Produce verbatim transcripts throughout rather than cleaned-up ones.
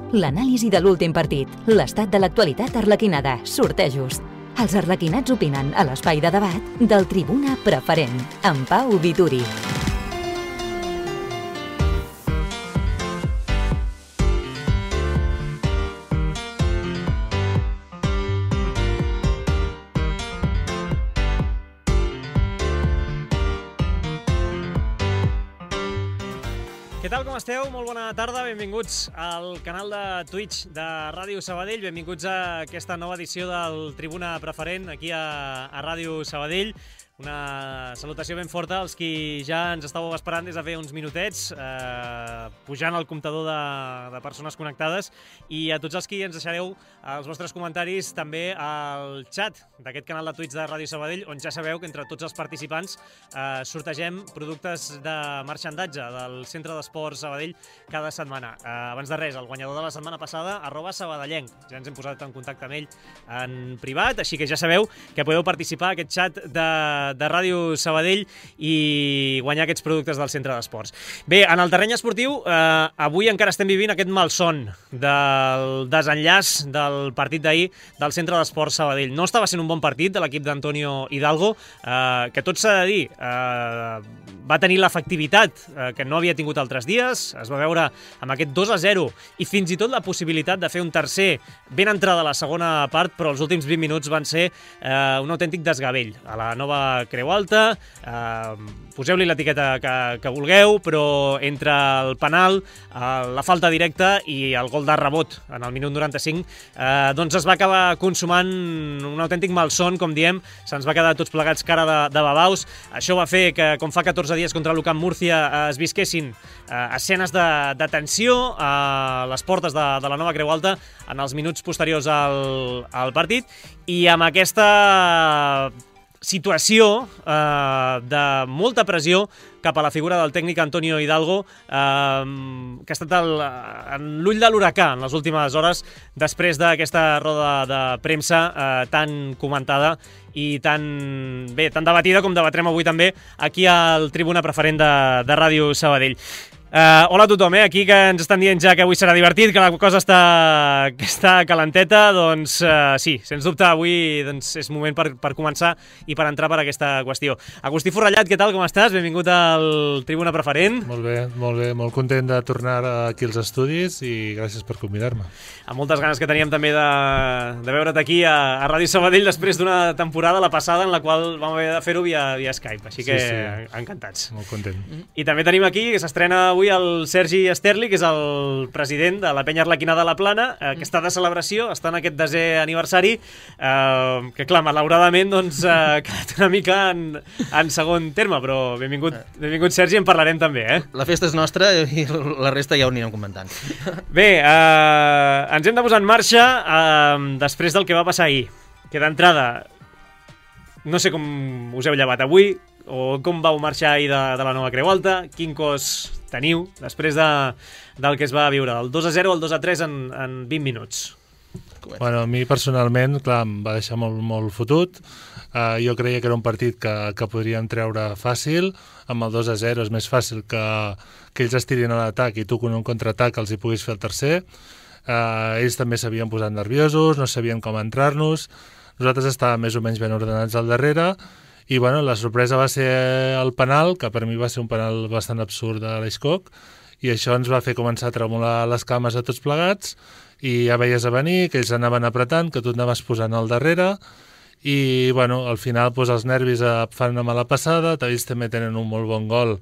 L'anàlisi de l'últim partit, l'estat de l'actualitat arlequinada, sortejos. Els arlequinats opinen a l'espai de debat del Tribuna Preferent, amb Pau Vituri. Què tal, com esteu? Molt bona tarda, benvinguts al canal de Twitch de Ràdio Sabadell, benvinguts a aquesta nova edició del Tribuna Preferent aquí a, a Ràdio Sabadell. Una salutació ben forta als qui ja ens estàveu esperant des de fer uns minutets, eh, pujant el comptador de, de persones connectades, i a tots els qui ens deixareu els vostres comentaris també al xat d'aquest canal de Twitch de Ràdio Sabadell, on ja sabeu que entre tots els participants eh, sortegem productes de marxandatge del Centre d'Esports Sabadell cada setmana. Eh, abans de res, el guanyador de la setmana passada, arroba sabadellenc. Ja ens hem posat en contacte amb ell en privat, així que ja sabeu que podeu participar a aquest xat de de Ràdio Sabadell i guanyar aquests productes del Centre d'Esports. Bé, en el terreny esportiu, eh, avui encara estem vivint aquest malson del desenllaç del partit d'ahir del Centre d'Esports Sabadell. No estava sent un bon partit de l'equip d'Antonio Hidalgo, eh, que tot s'ha de dir, eh, va tenir l'efectivitat eh, que no havia tingut altres dies, es va veure amb aquest dos a zero i fins i tot la possibilitat de fer un tercer ben entrada a la segona part, però els últims vint minuts van ser eh, un autèntic desgavell a la nova Creu Alta. Eh, poseu-li l'etiqueta que, que vulgueu, però entre el penal, eh, la falta directa i el gol de rebot en el minut noranta-cinc, eh, doncs es va acabar consumant un autèntic malson, com diem, se'ns va quedar tots plegats cara de, de babaus. Això va fer que, com fa catorze dies contra l'U C A M Múrcia, eh, es visquessin eh, escenes de, de tensió a les portes de, de la nova Creu Alta en els minuts posteriors al, al partit, i amb aquesta situació eh, de molta pressió cap a la figura del tècnic Antonio Hidalgo, eh, que ha estat el, en l'ull de l'huracà en les últimes hores, després d'aquesta roda de premsa eh, tan comentada i tan, bé, tan debatida com debatrem avui també aquí al Tribuna Preferent de, de Ràdio Sabadell. Uh, hola a tothom, eh? Aquí que ens estan dient ja que avui serà divertit, que la cosa està, que està calenteta, doncs uh, sí, sens dubte avui doncs, és moment per, per començar i per entrar per aquesta qüestió. Agustí Forrellat, què tal, com estàs? Benvingut al Tribuna Preferent. Molt bé, molt bé, molt content de tornar aquí als estudis i gràcies per convidar-me. Amb moltes ganes que teníem també de, de veure't aquí a, a Ràdio Sabadell després d'una temporada, la passada, en la qual vam haver de fer-ho via, via Skype, així que sí, sí. Encantats. Molt content. I també tenim aquí, que s'estrena avui el Sergi Esterli, que és el president de la penya arlequinada de la Plana, eh, que està de celebració, està en aquest desè aniversari, eh, que clar, malauradament doncs, eh, ha quedat una mica en, en segon terme, però benvingut, benvingut Sergi, en parlarem també. Eh? La festa és nostra i la resta ja ho anirem comentant. Bé, eh, ens hem de posar en marxa eh, després del que va passar ahir, que d'entrada no sé com us heu llevat avui, o com vau marxar ahir de, de la nova Creu Alta, quin cos teniu després de, del que es va viure, el dos a zero al dos a tres en, en vint minuts. Bueno, a mi personalment, clar, em va deixar molt, molt fotut. Uh, jo creia que era un partit que, que podríem treure fàcil. Amb el dos a zero és més fàcil que, que ells estirin a l'atac i tu con un contraatac els hi puguis fer el tercer. Uh, ells també s'havien posat nerviosos, no sabien com entrar-nos. Nosaltres estàvem més o menys ben ordenats al darrere. I bueno, la sorpresa va ser el penal, que per mi va ser un penal bastant absurd de l'Eixcoc, i això ens va fer començar a tremolar les cames a tots plegats, i ja veies a venir, que ells anaven apretant, que tu et anaves posant al darrere, i bueno, al final doncs, els nervis fan una mala passada, ells també tenen un molt bon gol,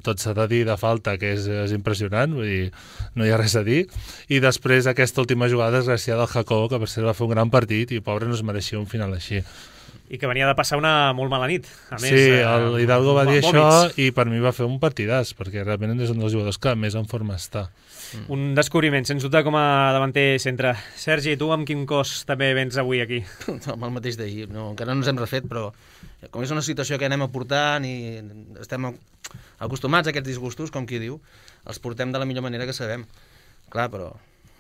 tot s'ha de dir, de falta, que és, és impressionant, vull dir, no hi ha res a dir, i després aquesta última jugada desgraciada del Jacobo, que per cert va fer un gran partit, i pobre no es mereixia un final així. I que venia de passar una molt mala nit. A més, sí, el Hidalgo va dir vòmits. això i per mi va fer un partidàs, perquè realment és un dels jugadors que més en forma està. Mm. Un descobriment, sens dubte, com a davanter centre. Sergi, tu amb quin cos també vens avui aquí? Amb el mateix d'ahir. No, encara no ens hem refet, però com és una situació que anem aportant i estem acostumats a aquests disgustos, com qui diu, els portem de la millor manera que sabem. Clar, però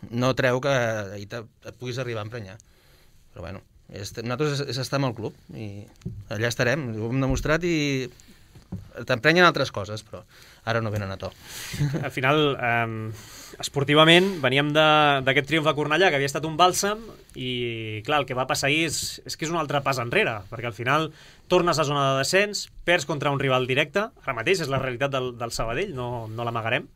no treu que ahir et puguis arribar a emprenyar. Però bueno, nosaltres és estar amb el club i allà estarem, ho hem demostrat i t'emprenyen altres coses, però ara no venen a to. Al final, eh, esportivament, veníem d'aquest triomf a Cornellà, que havia estat un bàlsam, i clar, el que va passar ahir és, és que és un altre pas enrere, perquè al final tornes a zona de descens, perds contra un rival directe, ara mateix és la realitat del, del Sabadell, no, no l'amagarem.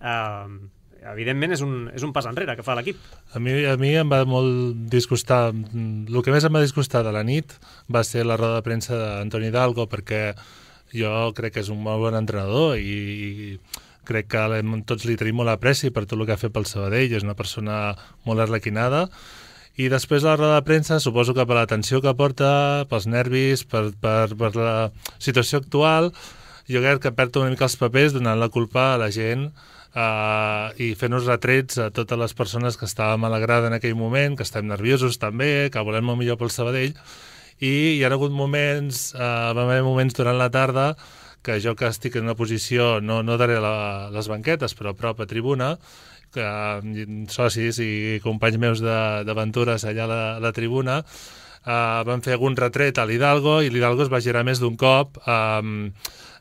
Eh, evidentment és un, és un pas enrere que fa l'equip. A mi, a mi em va molt disgustar, el que més em va disgustar de la nit va ser la roda de premsa d'Antoni Hidalgo, perquè jo crec que és un molt bon entrenador i, i crec que tots li tenim molt apreci per tot el que ha fet pel Sabadell, és una persona molt arlequinada, i després la roda de premsa, suposo que per la tensió que porta, pels nervis, per, per, per la situació actual, jo crec que perd una mica els papers donant la culpa a la gent Uh, i fent-nos retrets a totes les persones que estàvem a la grada en aquell moment, que estem nerviosos també, que volem el millor pel Sabadell, i hi ha hagut moments, uh, va haver moments durant la tarda que jo que estic en una posició, no, no darrere la, les banquetes, però a prop a tribuna, que uh, socis i companys meus d'aventures allà a la, a la tribuna, uh, van fer algun retret a l'Hidalgo, i l'Hidalgo es va girar més d'un cop um,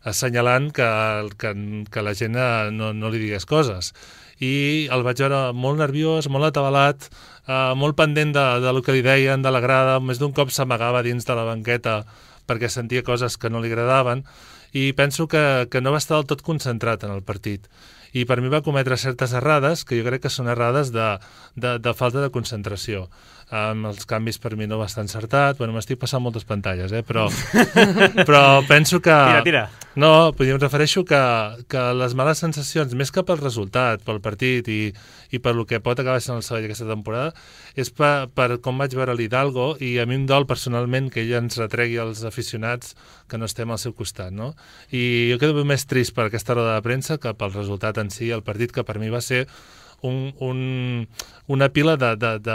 assenyalant que, que, que la gent no, no li digués coses. I el vaig veure molt nerviós, molt atabalat, eh, molt pendent de, de lo que li deien, de la grada, més d'un cop s'amagava dins de la banqueta perquè sentia coses que no li agradaven, i penso que, que no va estar del tot concentrat en el partit. I per mi va cometre certes errades, que jo crec que són errades de, de, de falta de concentració. Um, els canvis per mi no va estar encertat, bueno, m'estic passant moltes pantalles, eh? però, però penso que... Tira, tira. No, em refereixo que, que les males sensacions, més que pel resultat, pel partit i, i per lo que pot acabar sent el Sabadell aquesta temporada, és per, per com vaig veure l'Hidalgo, i a mi em dol personalment que ell ens retregui als aficionats que no estem al seu costat, no? I jo quedo més trist per aquesta roda de premsa que pel resultat en si, el partit que per mi va ser Un, un, una pila de, de, de,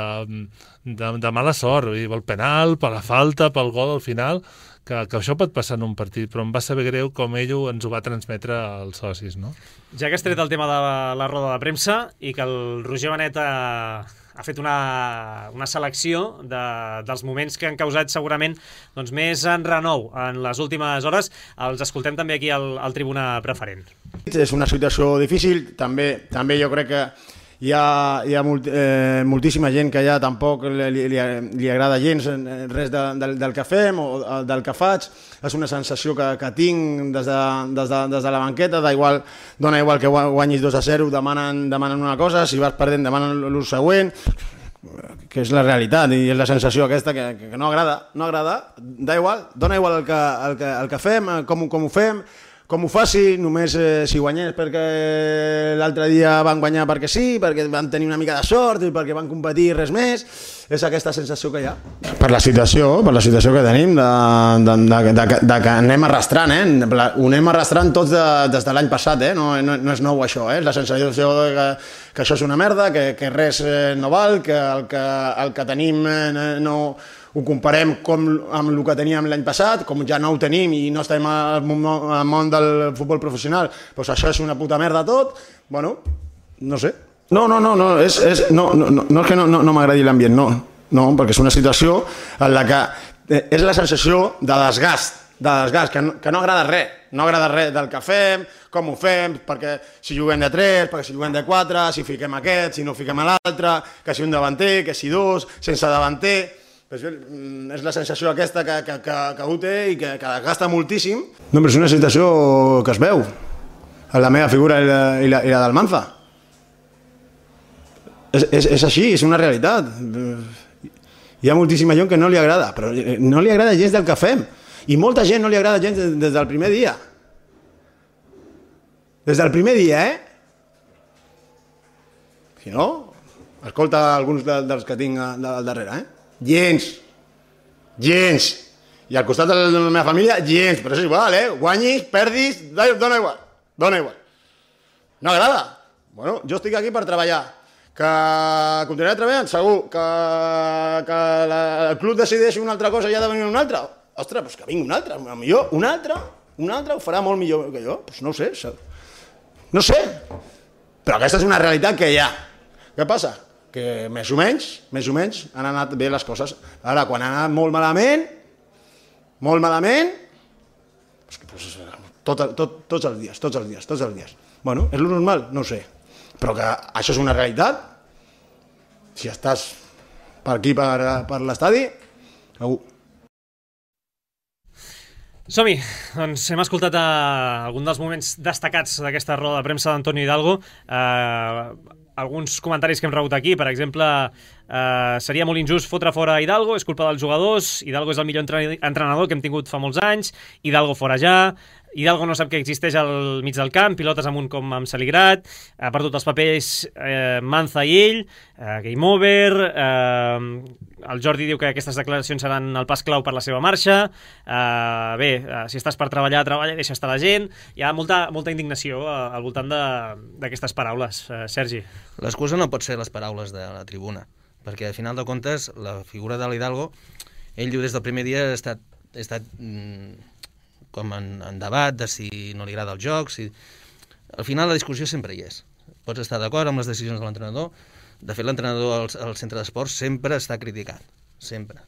de, de mala sort, pel penal, per la falta, pel gol al final, que, que això pot passar en un partit, però em va saber greu com ell ens ho va transmetre als socis, no? Ja que has tret el tema de la roda de premsa i que el Roger Benet ha, ha fet una, una selecció de, dels moments que han causat segurament doncs, més enrenou en les últimes hores, els escoltem també aquí al, al Tribuna Preferent. És una situació difícil, també, també jo crec que hi ha, hi ha molt, eh, moltíssima gent que ja tampoc li, li, li agrada gens res de, del, del que fem o del que faig. És una sensació que, que tinc des de, des de, des de la banqueta, da igual, dona igual que guanyis dos a zero, demanen, demanen una cosa, si vas perdent demanen l'ús següent, que és la realitat i és la sensació aquesta que, que no agrada, no agrada, da igual, dona igual el que, el que, el que fem, com, com ho fem, com ho faci, només eh, si guanyés perquè l'altre dia van guanyar perquè sí, perquè van tenir una mica de sort i perquè van competir res més, és aquesta sensació que hi ha. Per la situació, per la situació que tenim, de, de, de, de, de que anem arrastrant, eh? Ho anem arrastrant tots de, des de l'any passat, eh? no, no, no és nou això, eh? La sensació de que, que això és una merda, que, que res eh, no val, que el que, el que tenim eh, no... ho comparem com amb el que teníem l'any passat, com ja no ho tenim i no estem al món del futbol professional, doncs això és una puta merda tot, bueno, no sé. No, no, no, no, és, és, no, no, no és que no, no, no m'agradi l'ambient, no, no, perquè és una situació en la que és la sensació de desgast, de desgast, que no, que no agrada res, no agrada res del que fem, com ho fem, perquè si juguem de tres, perquè si juguem de quatre, si fiquem aquest, si no fiquem a l'altre, que si un davanter, que si dos, sense davanter... És la sensació aquesta que, que, que, que ho té i que, que gasta moltíssim. No, però és una situació que es veu en la meva figura i la, i la, i la del Manza. És, és, és així, és una realitat. Hi ha moltíssima gent que no li agrada, però no li agrada gens del que fem. I molta gent no li agrada gens des del primer dia. Des del primer dia, eh? Si no, escolta alguns de, dels que tinc al darrere, eh? Gens, gens, i al costat de la meva família, gens, però és igual, eh? Guanyis, perdis, dona igual, dona igual. No agrada? Bueno, jo estic aquí per treballar. Que continuaré treballant? Segur. Que, que la, el club decideixi una altra cosa i ha de venir un altre? Ostres, doncs que vingui un altre, millor, un altre, un altre ho farà molt millor que jo, doncs no ho sé, no sé, però aquesta és una realitat que hi ha. Què passa? Que més o menys, més o menys han anat bé les coses. Ara, quan han anat molt malament, molt malament, doncs, tot, tot, tots els dies, tots els dies, tots els dies. Bueno, és lo normal? No ho sé. Però que això és una realitat, si estàs per aquí, per, per l'estadi, segur. Som-hi, doncs hem escoltat uh, algun dels moments destacats d'aquesta roda de premsa d'Antonio Hidalgo. Uh, alguns comentaris que hem rebut aquí, per exemple, uh, seria molt injust fotre fora Hidalgo, és culpa dels jugadors, Hidalgo és el millor entrenador que hem tingut fa molts anys, Hidalgo fora ja, Hidalgo no sap que existeix al mig del camp, pilotes amunt com amb Saligrat, ha perdut els papers eh, Manza i ell, eh, game over, eh, el Jordi diu que aquestes declaracions seran el pas clau per la seva marxa, eh, bé, eh, si estàs per treballar, treballa, deixa estar la gent, hi ha molta, molta indignació eh, al voltant d'aquestes paraules. Eh, Sergi. L'excusa no pot ser les paraules de la tribuna, perquè al final de comptes la figura de l'Hidalgo, ell diu des del primer dia ha estat, ha estat mm, com en, en debat de si no li agrada el joc, si... al final la discussió sempre hi és. Pots estar d'acord amb les decisions de l'entrenador, de fet l'entrenador al, al centre d'esports sempre està criticat, sempre.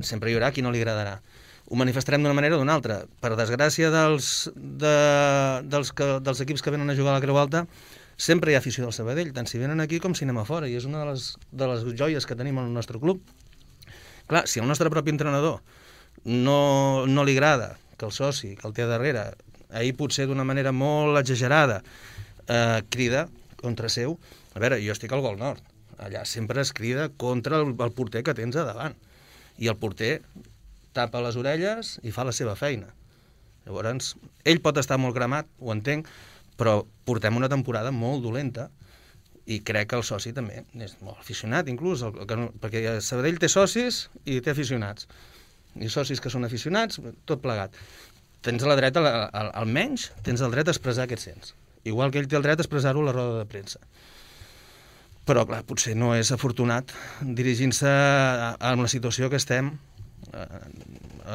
Sempre hi haurà qui no li agradarà. Ho manifestarem d'una manera o d'una altra. Per desgràcia dels, de, dels, que, dels equips que venen a jugar a la Creu Alta, sempre hi ha afició del Sabadell, tant si venen aquí com si anem a fora, i és una de les, de les joies que tenim al nostre club. Clar, si el nostre propi entrenador no, no li agrada que el soci, que el té darrere, ahir potser d'una manera molt exagerada, eh, crida contra seu. A veure, jo estic al Gol Nord, allà sempre es crida contra el, el porter que tens a davant, i el porter tapa les orelles i fa la seva feina. Llavors, ell pot estar molt cremat, ho entenc, però portem una temporada molt dolenta, i crec que el soci també és molt aficionat, inclús, el, el, perquè Sabadell té socis i té aficionats, i socis que són aficionats, tot plegat. Tens la dreta, almenys, tens el dret a expressar què et sents. Igual que ell té el dret a expressar-ho a la roda de premsa. Però, clar, potser no és afortunat dirigint-se a, a una situació que estem, eh,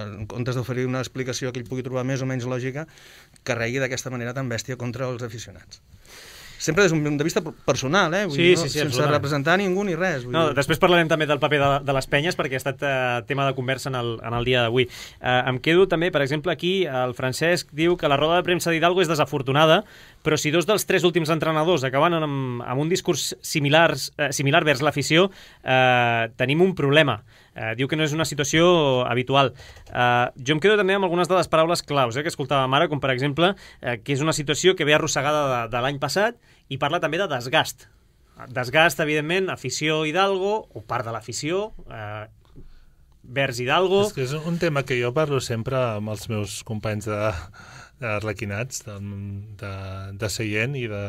en comptes d'oferir una explicació que ell pugui trobar més o menys lògica, que regui d'aquesta manera tan bèstia contra els aficionats. Sempre des d'un punt de vista personal, eh? Vull sí, dir, no? sí, sí, sense representar ningú ni res. Vull no, dir. Després parlarem també del paper de, de les penyes, perquè ha estat eh, tema de conversa en el, en el dia d'avui. Eh, em quedo també, per exemple, aquí el Francesc diu que la roda de premsa d'Hidalgo és desafortunada, però si dos dels tres últims entrenadors acaben amb, amb un discurs similars, eh, similar vers l'afició, eh, tenim un problema. Eh, diu que no és una situació habitual. Eh, jo em quedo també amb algunes de les paraules claus eh, que escoltàvem ara, com per exemple eh, que és una situació que ve arrossegada de, de l'any passat, i parla també de desgast. Desgast, evidentment, afició Hidalgo, o part de l'afició, eh, vers Hidalgo... És que és un tema que jo parlo sempre amb els meus companys de, d'arlequinats, de, de, de Seient i de,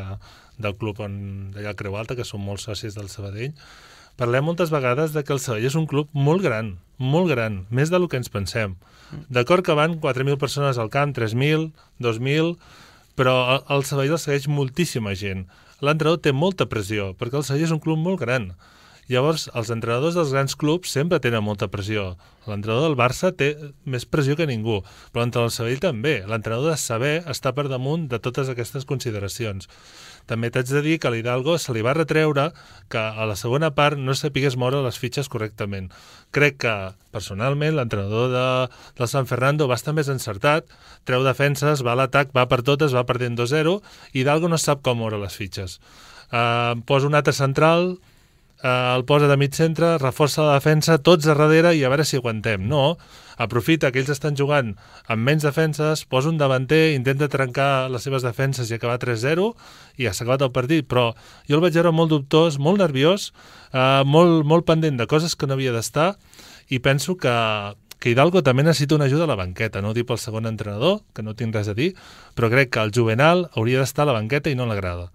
del club d'allà a Creu Alta, que són molts socis del Sabadell. Parlem moltes vegades de que el Sabadell és un club molt gran, molt gran, més del que ens pensem. D'acord que van quatre mil persones al camp, tres mil, dos mil, però el, el Sabadell el segueix moltíssima gent. L'entrenador té molta pressió, perquè el Sabadell és un club molt gran. Llavors, els entrenadors dels grans clubs sempre tenen molta pressió. L'entrenador del Barça té més pressió que ningú, però l'entrenador del Sabadell també. L'entrenador de saber està per damunt de totes aquestes consideracions. També t'haig de dir que a l'Hidalgo se li va retreure que a la segona part no sapigués moure les fitxes correctament. Crec que, personalment, l'entrenador de, del San Fernando va estar més encertat, treu defenses, va a l'atac, va per totes, va perdent dos zero, i Hidalgo no sap com moure les fitxes. Uh, posa un altre central, uh, el posa de mig centre, reforça la defensa, tots a darrere i a veure si aguantem. No, aprofita que ells estan jugant amb menys defenses, posa un davanter, intenta trencar les seves defenses i acabar tres zero i ja s'ha acabat el partit, però jo el vaig veure molt dubtós, molt nerviós, eh, molt, molt pendent de coses que no havia d'estar, i penso que, que Hidalgo també necessita una ajuda a la banqueta, no ho dic pel segon entrenador, que no tinc res a dir, però crec que el Juvenal hauria d'estar a la banqueta i no a la grada.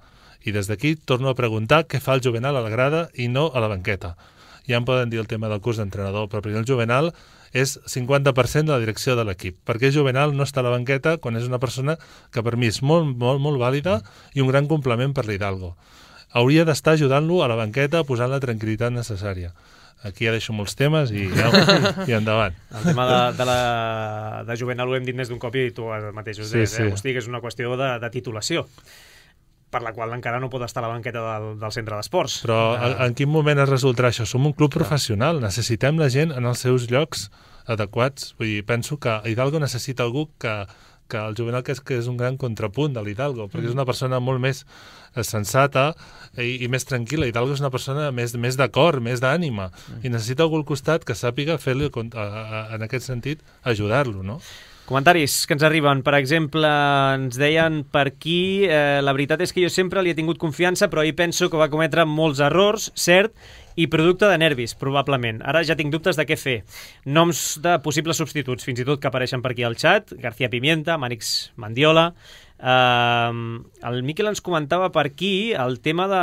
I des d'aquí torno a preguntar què fa el Juvenal a la grada i no a la banqueta. Ja em poden dir el tema del curs d'entrenador, però per mi el Juvenal és cinquanta per cent de la direcció de l'equip, perquè Juvenal no està a la banqueta quan és una persona que per mi és molt, molt, molt vàlida i un gran complement per l'Hidalgo. Hauria d'estar ajudant-lo a la banqueta, posant la tranquil·litat necessària. Aquí ja deixo molts temes i, ja, i endavant. El tema de, de, la, de Juvenal ho hem dit més d'un cop i tu mateix ho deies, sí, sí. eh? Hosti, que és una qüestió de, de titulació, per la qual encara no pot estar a la banqueta del, del centre d'esports. Però en, en quin moment es resoldrà això? Som un club professional, necessitem la gent en els seus llocs adequats. Vull dir, penso que Hidalgo necessita algú que, que el Juvenal que és, que és un gran contrapunt de l'Hidalgo, perquè és una persona molt més sensata i, i més tranquil·la. Hidalgo és una persona més, més d'acord, més d'ànima, i necessita algú al costat que sàpiga fer-li, en aquest sentit, ajudar-lo, no? Comentaris que ens arriben. Per exemple, ens deien per aquí, eh, la veritat és que jo sempre li he tingut confiança, però ahir penso que va cometre molts errors, cert, i producte de nervis, probablement. Ara ja tinc dubtes de què fer. Noms de possibles substituts, fins i tot que apareixen per aquí al xat: García Pimienta, Mànix Mandiola. Uh, el Miquel ens comentava per aquí el tema de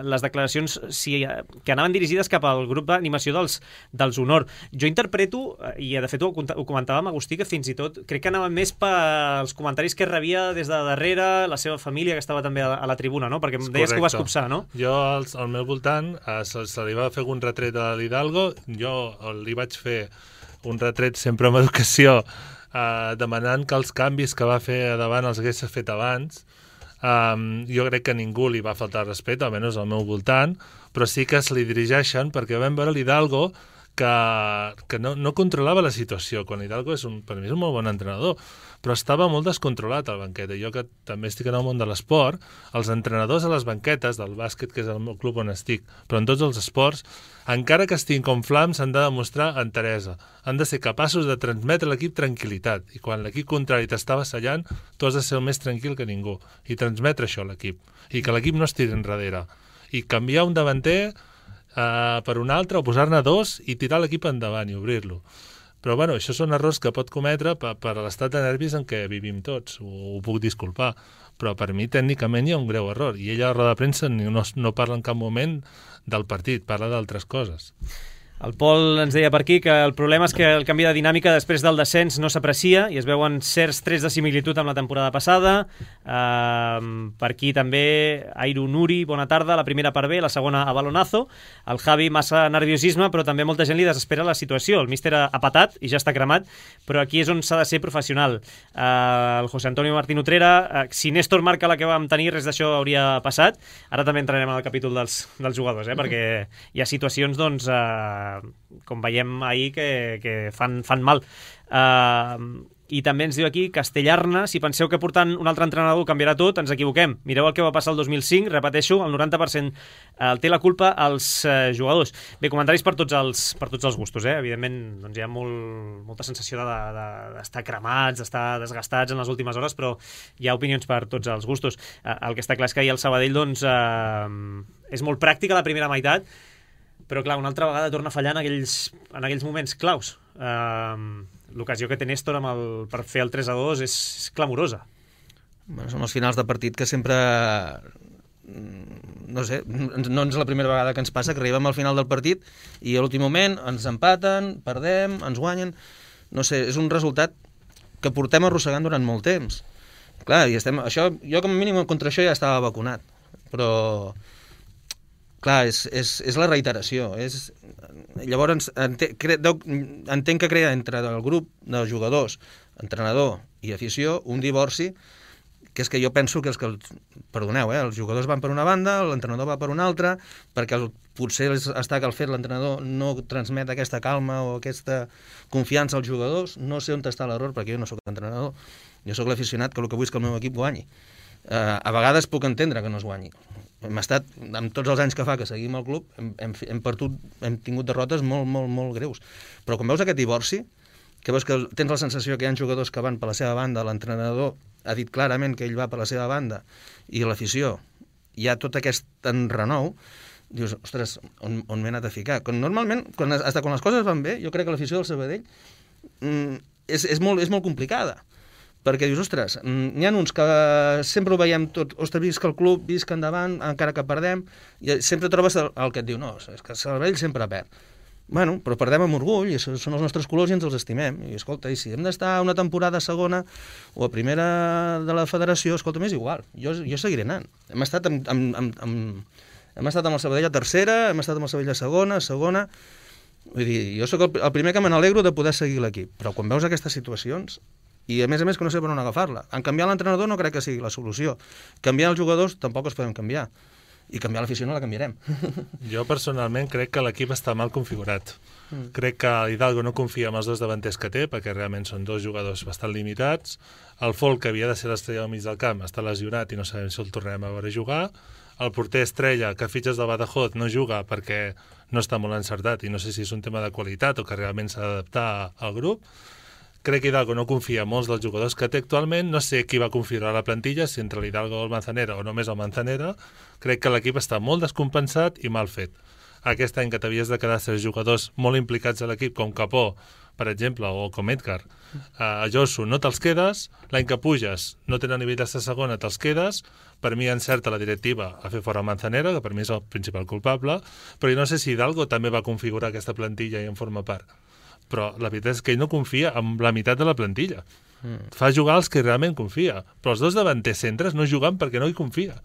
les declaracions si, que anaven dirigides cap al grup d'animació dels, dels Honor. Jo interpreto, i de fet ho, ho comentava amb Agustí, que fins i tot crec que anaven més pels comentaris que rebia des de darrere la seva família, que estava també a, a la tribuna, no? Perquè em deies que ho vas copsar, no? Jo, al, al meu voltant, eh, se, se li va fer un retret a l'Hidalgo, jo li vaig fer un retret sempre amb educació, Uh, demanant que els canvis que va fer a davant els hagués fet abans. Um, jo crec que ningú li va faltar respecte, almenys al meu voltant, però sí que se li dirigeixen perquè vam veure l'Hidalgo que, que no, no controlava la situació, quan l'Hidalgo és un, per mi és un molt bon entrenador, però estava molt descontrolat al banquet. I jo, que també estic en el món de l'esport, els entrenadors a les banquetes del bàsquet, que és el meu club on estic, però en tots els esports, encara que estiguin com flams, han de demostrar enteresa. Han de ser capaços de transmetre a l'equip tranquil·litat. I quan l'equip contrari t'està vassallant, tu has de ser el més tranquil que ningú. I transmetre això a l'equip. I que l'equip no es tiri enrere. I canviar un davanter uh, per un altre, o posar-ne dos, i tirar l'equip endavant i obrir-lo. Però, bueno, això són errors que pot cometre per, per l'estat de nervis en què vivim tots. Ho, ho puc disculpar. Però per mi, tècnicament, hi ha un greu error. I ella a la roda de premsa no, no parla en cap moment del partit, parla d'altres coses. El Pol ens deia per aquí que el problema és que el canvi de dinàmica després del descens no s'aprecia i es veuen certs trets de similitud amb la temporada passada. Uh, per aquí també Airu Nuri, bona tarda, la primera per bé, la segona a balonazo. El Javi, massa nerviosisme, però també molta gent li desespera la situació. El míster ha patat i ja està cremat, però aquí és on s'ha de ser professional. Uh, el José Antonio Martín Utrera, uh, si Néstor marca la que vam tenir, res d'això hauria passat. Ara també entrarem al capítol dels, dels jugadors, eh? Perquè hi ha situacions, doncs, uh, com veiem ahir, que, que fan, fan mal. Uh, I també ens diu aquí Castellarna: si penseu que portant un altre entrenador canviarà tot, ens equivoquem. Mireu el que va passar el dos mil cinc, repeteixo, el noranta per cent el té la culpa els uh, jugadors. Bé, comentaris per tots els, per tots els gustos, eh? Evidentment, doncs hi ha molt, molta sensació d'estar de, de, cremats, d'estar desgastats en les últimes hores, però hi ha opinions per tots els gustos. Uh, el que està clar és que ahir el Sabadell, doncs, uh, és molt pràctica la primera meitat, però clar, una altra vegada torna a fallar en aquells, en aquells moments claus. Uh, l'ocasió que té Néstor amb el, per fer el tres a dos és, és clamorosa. Bueno, són els finals de partit que sempre, no sé, no és la primera vegada que ens passa, que arribem al final del partit i a l'últim moment ens empaten, perdem, ens guanyen. No sé, és un resultat que portem arrossegant durant molt temps. Clar, i estem, això, jo com a mínim contra això ja estava vacunat, però clar, és, és, és la reiteració. És, llavors, entenc, cre, entenc que crea entre el grup de jugadors, entrenador i afició, un divorci, que és que jo penso que els que, perdoneu, eh, els jugadors van per una banda, l'entrenador va per una altra, perquè el, potser està que el fet l'entrenador no transmet aquesta calma o aquesta confiança als jugadors. No sé on està l'error, perquè jo no sóc entrenador, jo sóc l'aficionat que el que vull és que el meu equip guanyi. Uh, a vegades puc entendre que no es guanyi. Hem estat, amb tots els anys que fa que seguim el club, hem, hem, hem, partut, hem tingut derrotes molt, molt, molt greus. Però quan veus aquest divorci, que veus que tens la sensació que hi ha jugadors que van per la seva banda, l'entrenador ha dit clarament que ell va per la seva banda, i l'afició, hi ha tot aquest enrenou, dius, ostres, on, on m'he anat a ficar? Quan normalment, quan, hasta quan les coses van bé, jo crec que l'afició del Sabadell mm, és, és, molt, és molt complicada. Perquè dius, ostres, n'hi ha uns que sempre ho veiem tot, ostres, visc el club, visc endavant, encara que perdem, i sempre trobes el, el que et diu, no, és que el Sabadell sempre perd. Bueno, però perdem amb orgull, i són els nostres colors i ens els estimem. I escolta, i si hem d'estar una temporada a segona o a primera de la federació, escolta, m'és igual, jo, jo seguiré anant. Hem estat amb, amb, amb, amb, hem estat amb el Sabadell a tercera, hem estat amb el Sabadell a segona, a segona. Vull dir, jo sóc el, el primer que me n'alegro de poder seguir l'equip, però quan veus aquestes situacions, i a més a més que no sé per on agafar-la. En canviar l'entrenador no crec que sigui la solució. Canviar els jugadors tampoc els podem canviar. i canviar l'afició no la canviarem. Jo personalment crec que l'equip està mal configurat. Mm. Crec que Hidalgo no confia en els dos davanters que té, perquè realment són dos jugadors bastant limitats. El Folk, que havia de ser l'estrella al mig del camp, està lesionat i no sabem si el tornarem a veure jugar. El porter estrella, que fitxes del Badajoz, no juga perquè no està molt encertat i no sé si és un tema de qualitat o que realment s'ha d'adaptar al grup. Crec que Hidalgo no confia en molts dels jugadors que té actualment. No sé qui va configurar la plantilla, si entre l'Hidalgo o el Manzanera o només el Manzanera. Crec que l'equip està molt descompensat i mal fet. Aquest any que t'havies de quedar tres jugadors molt implicats a l'equip, com Capó, per exemple, o com Edgar, a Josu, no te'ls quedes. L'any que puges, no tenen nivell de segona, te'ls quedes. Per mi encerta la directiva a fer fora Manzanera, que per mi és el principal culpable, però jo no sé si Hidalgo també va configurar aquesta plantilla i en forma part. Però la veritat és que ell no confia en la meitat de la plantilla. Mm. Fa jugar els que realment confia, però els dos davanters centres no juguen perquè no hi confia.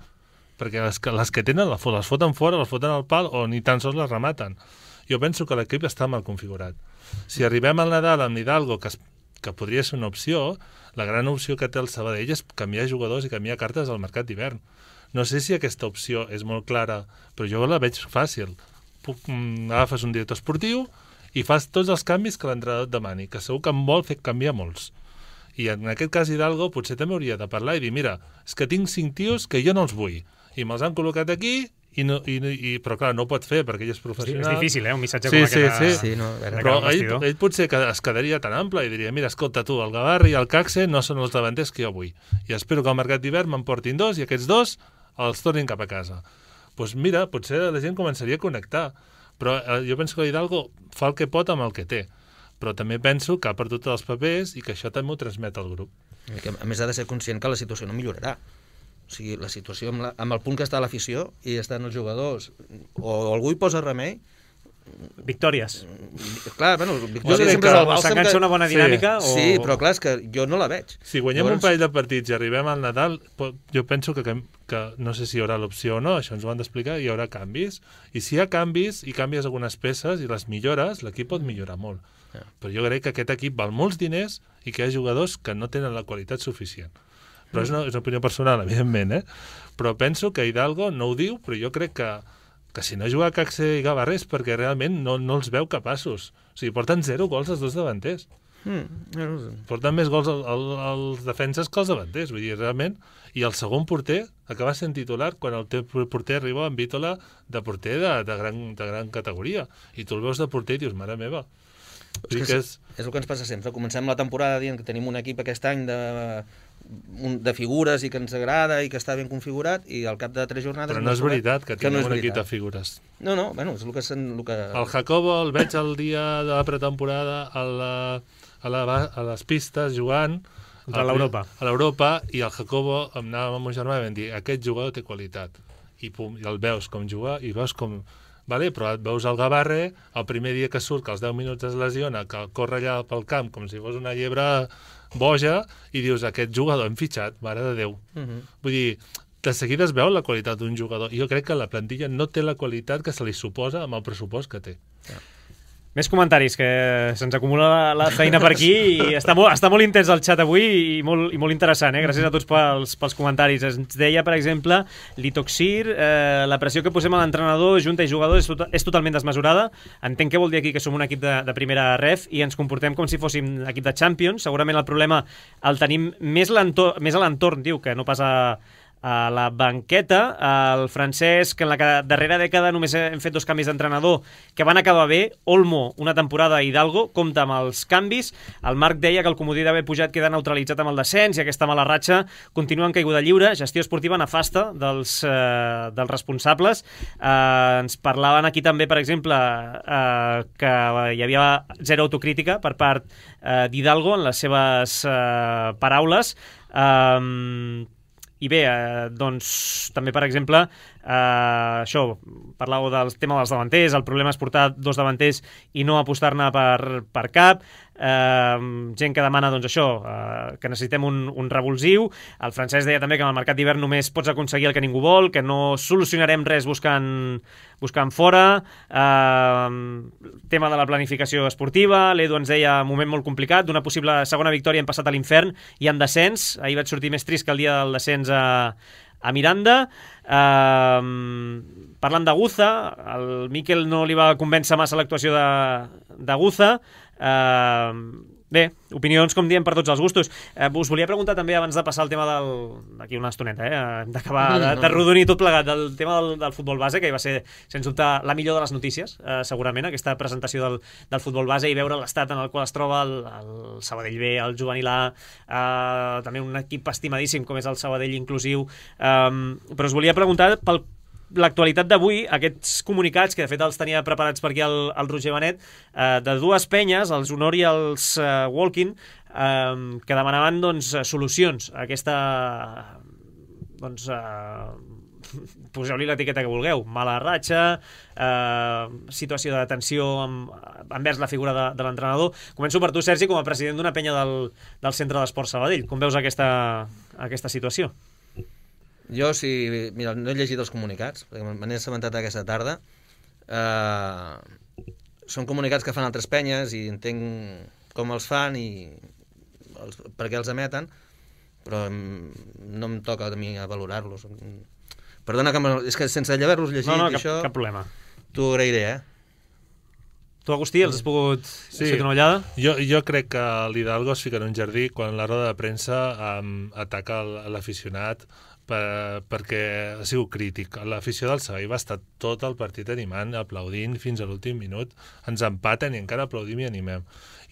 Perquè les que, les que tenen les foten fora, les foten al pal o ni tan sols les rematen. Jo penso que l'equip està mal configurat. Si arribem al Nadal amb Hidalgo, que, es, que podria ser una opció, la gran opció que té el Sabadell és canviar jugadors i canviar cartes al mercat d'hivern. No sé si aquesta opció és molt clara, però jo la veig fàcil. Puc, mm, agafes un director esportiu i fas tots els canvis que l'entrenador et demani, que segur que en vol fer canviar molts. I en aquest cas Hidalgo potser també hauria de parlar i dir, mira, és que tinc cinc tios que jo no els vull, i me'ls han col·locat aquí, i no, i, i, però clar, no ho pot fer perquè ell és professional. Sí, és difícil, eh? Un missatge sí, com sí, aquest. Sí, sí. No, però ell, ell potser es quedaria tan ample i diria, mira, escolta tu, el Gavarri i el Caxe no són els davanters que jo vull. I espero que al mercat d'hivern me'n portin dos i aquests dos els tornin cap a casa. Doncs pues mira, potser la gent començaria a connectar. Però eh, jo penso que Hidalgo fa el que pot amb el que té. Però també penso que ha perdut els papers i que això també ho transmet al grup. I que, a més, ha de ser conscient que la situació no millorarà. O sigui, la situació amb, la, amb el punt que està l'afició i estan els jugadors, o algú hi posa remei... Victòries. Clar, bueno, victòries sempre que és el bàlsam. S'enganxa que... una bona dinàmica sí. o... Sí, però clar, és que jo no la veig. Si guanyem Llavors... un parell de partits i arribem al Nadal, jo penso que, que no sé si hi haurà l'opció o no, això ens ho han d'explicar, hi haurà canvis. I si hi ha canvis i canvies algunes peces i les millores, l'equip pot millorar molt. Yeah. Però jo crec que aquest equip val molts diners i que hi ha jugadors que no tenen la qualitat suficient. Però és una, és una opinió personal, evidentment, eh? Però penso que Hidalgo no ho diu, però jo crec que, que si no juga Caxe i Gavarres perquè realment no, no els veu capaços. O sigui, porten zero gols els dos davanters. Mm. Porten més gols els, els defenses que els davanters, vull dir, realment. I el segon porter acaba sent titular quan el teu porter arriba amb Vítola de porter de, de, gran, de gran categoria. I tu el veus de porter i dius, mare meva. És, que és, és... és el que ens passa sempre. Comencem la temporada dient que tenim un equip aquest any de, de figures i que ens agrada i que està ben configurat i al cap de tres jornades... Però no és veritat que, que tinguem no un equip de figures. No, no, bueno, és el que... El, que... el Jacobo el veig el dia de la pretemporada a, la, a, la, a les pistes jugant a l'Europa. A l'Europa i el Jacobo em anava amb el meu germà i vam dir aquest jugador té qualitat. I, pum, i el veus com jugar i veus com... Vale, però et veus el Gavarre, el primer dia que surt, que als deu minuts es lesiona, que corre allà pel camp com si fos una llebre boja, i dius, aquest jugador hem fitxat, mare de Déu. Uh-huh. Vull dir, de seguida es veu la qualitat d'un jugador. I jo crec que la plantilla no té la qualitat que se li suposa amb el pressupost que té. Ja. Més comentaris, que se'ns acumula la, la feina per aquí i està molt, està molt intens el xat avui i molt, i molt interessant, eh? Gràcies a tots pels, pels comentaris. Ens deia, per exemple, Litoxir, eh, la pressió que posem a l'entrenador, junta i jugadors és, tot, és totalment desmesurada. Entenc que vol dir aquí que som un equip de, de primera ref i ens comportem com si fóssim equip de Champions. Segurament el problema el tenim més, més a l'entorn, diu, que no pas a... a la banqueta. El Francesc, en la darrera dècada només hem fet dos canvis d'entrenador que van acabar bé. Olmo, una temporada, Hidalgo, compta amb els canvis. El Marc deia que el comodí d'haver pujat queda neutralitzat amb el descens i aquesta mala ratxa continua en caiguda lliure. Gestió esportiva nefasta dels, eh, dels responsables. Eh, ens parlaven aquí també, per exemple, eh, que hi havia zero autocrítica per part eh, d'Hidalgo en les seves eh, paraules. Eh, I bé, eh, doncs, també, per exemple, eh, això, parlàveu del tema dels davanters, el problema és portar dos davanters i no apostar-ne per, per cap, eh, gent que demana, doncs, això, eh, que necessitem un, un revulsiu. El Francesc deia també que en el mercat d'hivern només pots aconseguir el que ningú vol, que no solucionarem res buscant, buscant fora, eh, tema de la planificació esportiva. L'Edu ens deia un moment molt complicat, d'una possible segona victòria hem passat a l'infern i en descens. Ahir vaig sortir més trist que el dia del descens a, a Miranda. Eh, parlant de Guza, el Miquel no li va convèncer massa l'actuació de, de Guza. Eh, Bé, opinions, com diem, per tots els gustos. Eh, us volia preguntar també, abans de passar el tema del... d'aquí una estoneta, eh? d'acabar de, de rodonir tot plegat, del tema del, del futbol base, que va ser, sens dubte, la millor de les notícies, eh, segurament, aquesta presentació del, del futbol base i veure l'estat en el qual es troba el, el Sabadell B, el Juvenil A, eh, també un equip estimadíssim com és el Sabadell Inclusiu. Eh, però us volia preguntar pel l'actualitat d'avui, aquests comunicats, que de fet els tenia preparats per aquí el, el Roger Benet, eh, de dues penyes, els Honor i els eh, Walking, eh, que demanaven doncs, solucions a aquesta... doncs... Eh, poseu-li l'etiqueta que vulgueu, mala ratxa, eh, situació de tensió amb, envers la figura de, de l'entrenador. Començo per tu, Sergi, com a president d'una penya del, del Centre d'Esport Sabadell. Com veus aquesta, aquesta situació? Jo, si... Mira, no he llegit els comunicats, perquè me n'he assabentat aquesta tarda. Uh, són comunicats que fan altres penyes i entenc com els fan i els, per què els emeten, però no em toca a mi a valorar-los. Perdona, que me, és que sense haver-los llegit no, no, cap, això... cap problema. T'ho agrairé, eh? Tu, Agustí, els has pogut sí. fer una ullada? Jo, jo crec que l'Hidalgo es fica en un jardí quan la roda de premsa um, ataca l'aficionat per, perquè ha sigut crític. L'afició del Sabadell va estar tot el partit animant, aplaudint fins a l'últim minut. Ens empaten i encara aplaudim i animem.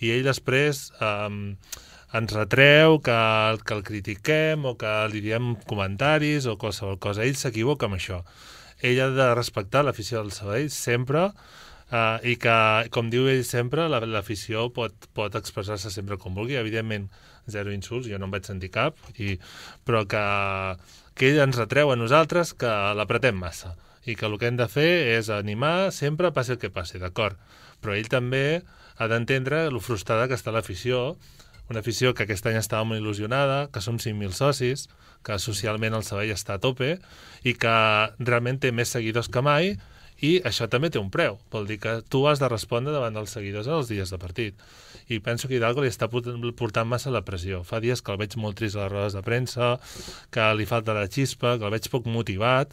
I ell després um, ens retreu que, que el critiquem o que li diem comentaris o qualsevol cosa. Ell s'equivoca amb això. Ell ha de respectar l'afició del Sabadell sempre. Uh, i que, com diu ell sempre, l'afició pot, pot expressar-se sempre com vulgui. Evidentment, zero insults, jo no en vaig sentir cap, i, però que, que ell ens retreu a nosaltres que l'apretem massa i que el que hem de fer és animar sempre, passi el que passi, d'acord? Però ell també ha d'entendre lo frustrada que està l'afició, una afició que aquest any estava molt il·lusionada, que som cinc mil socis, que socialment el Sabadell està a tope i que realment té més seguidors que mai. I això també té un preu, vol dir que tu has de respondre davant dels seguidors en els dies de partit. I penso que Hidalgo li està portant massa la pressió. Fa dies que el veig molt trist a les rodes de premsa, que li falta la xispa, que el veig poc motivat,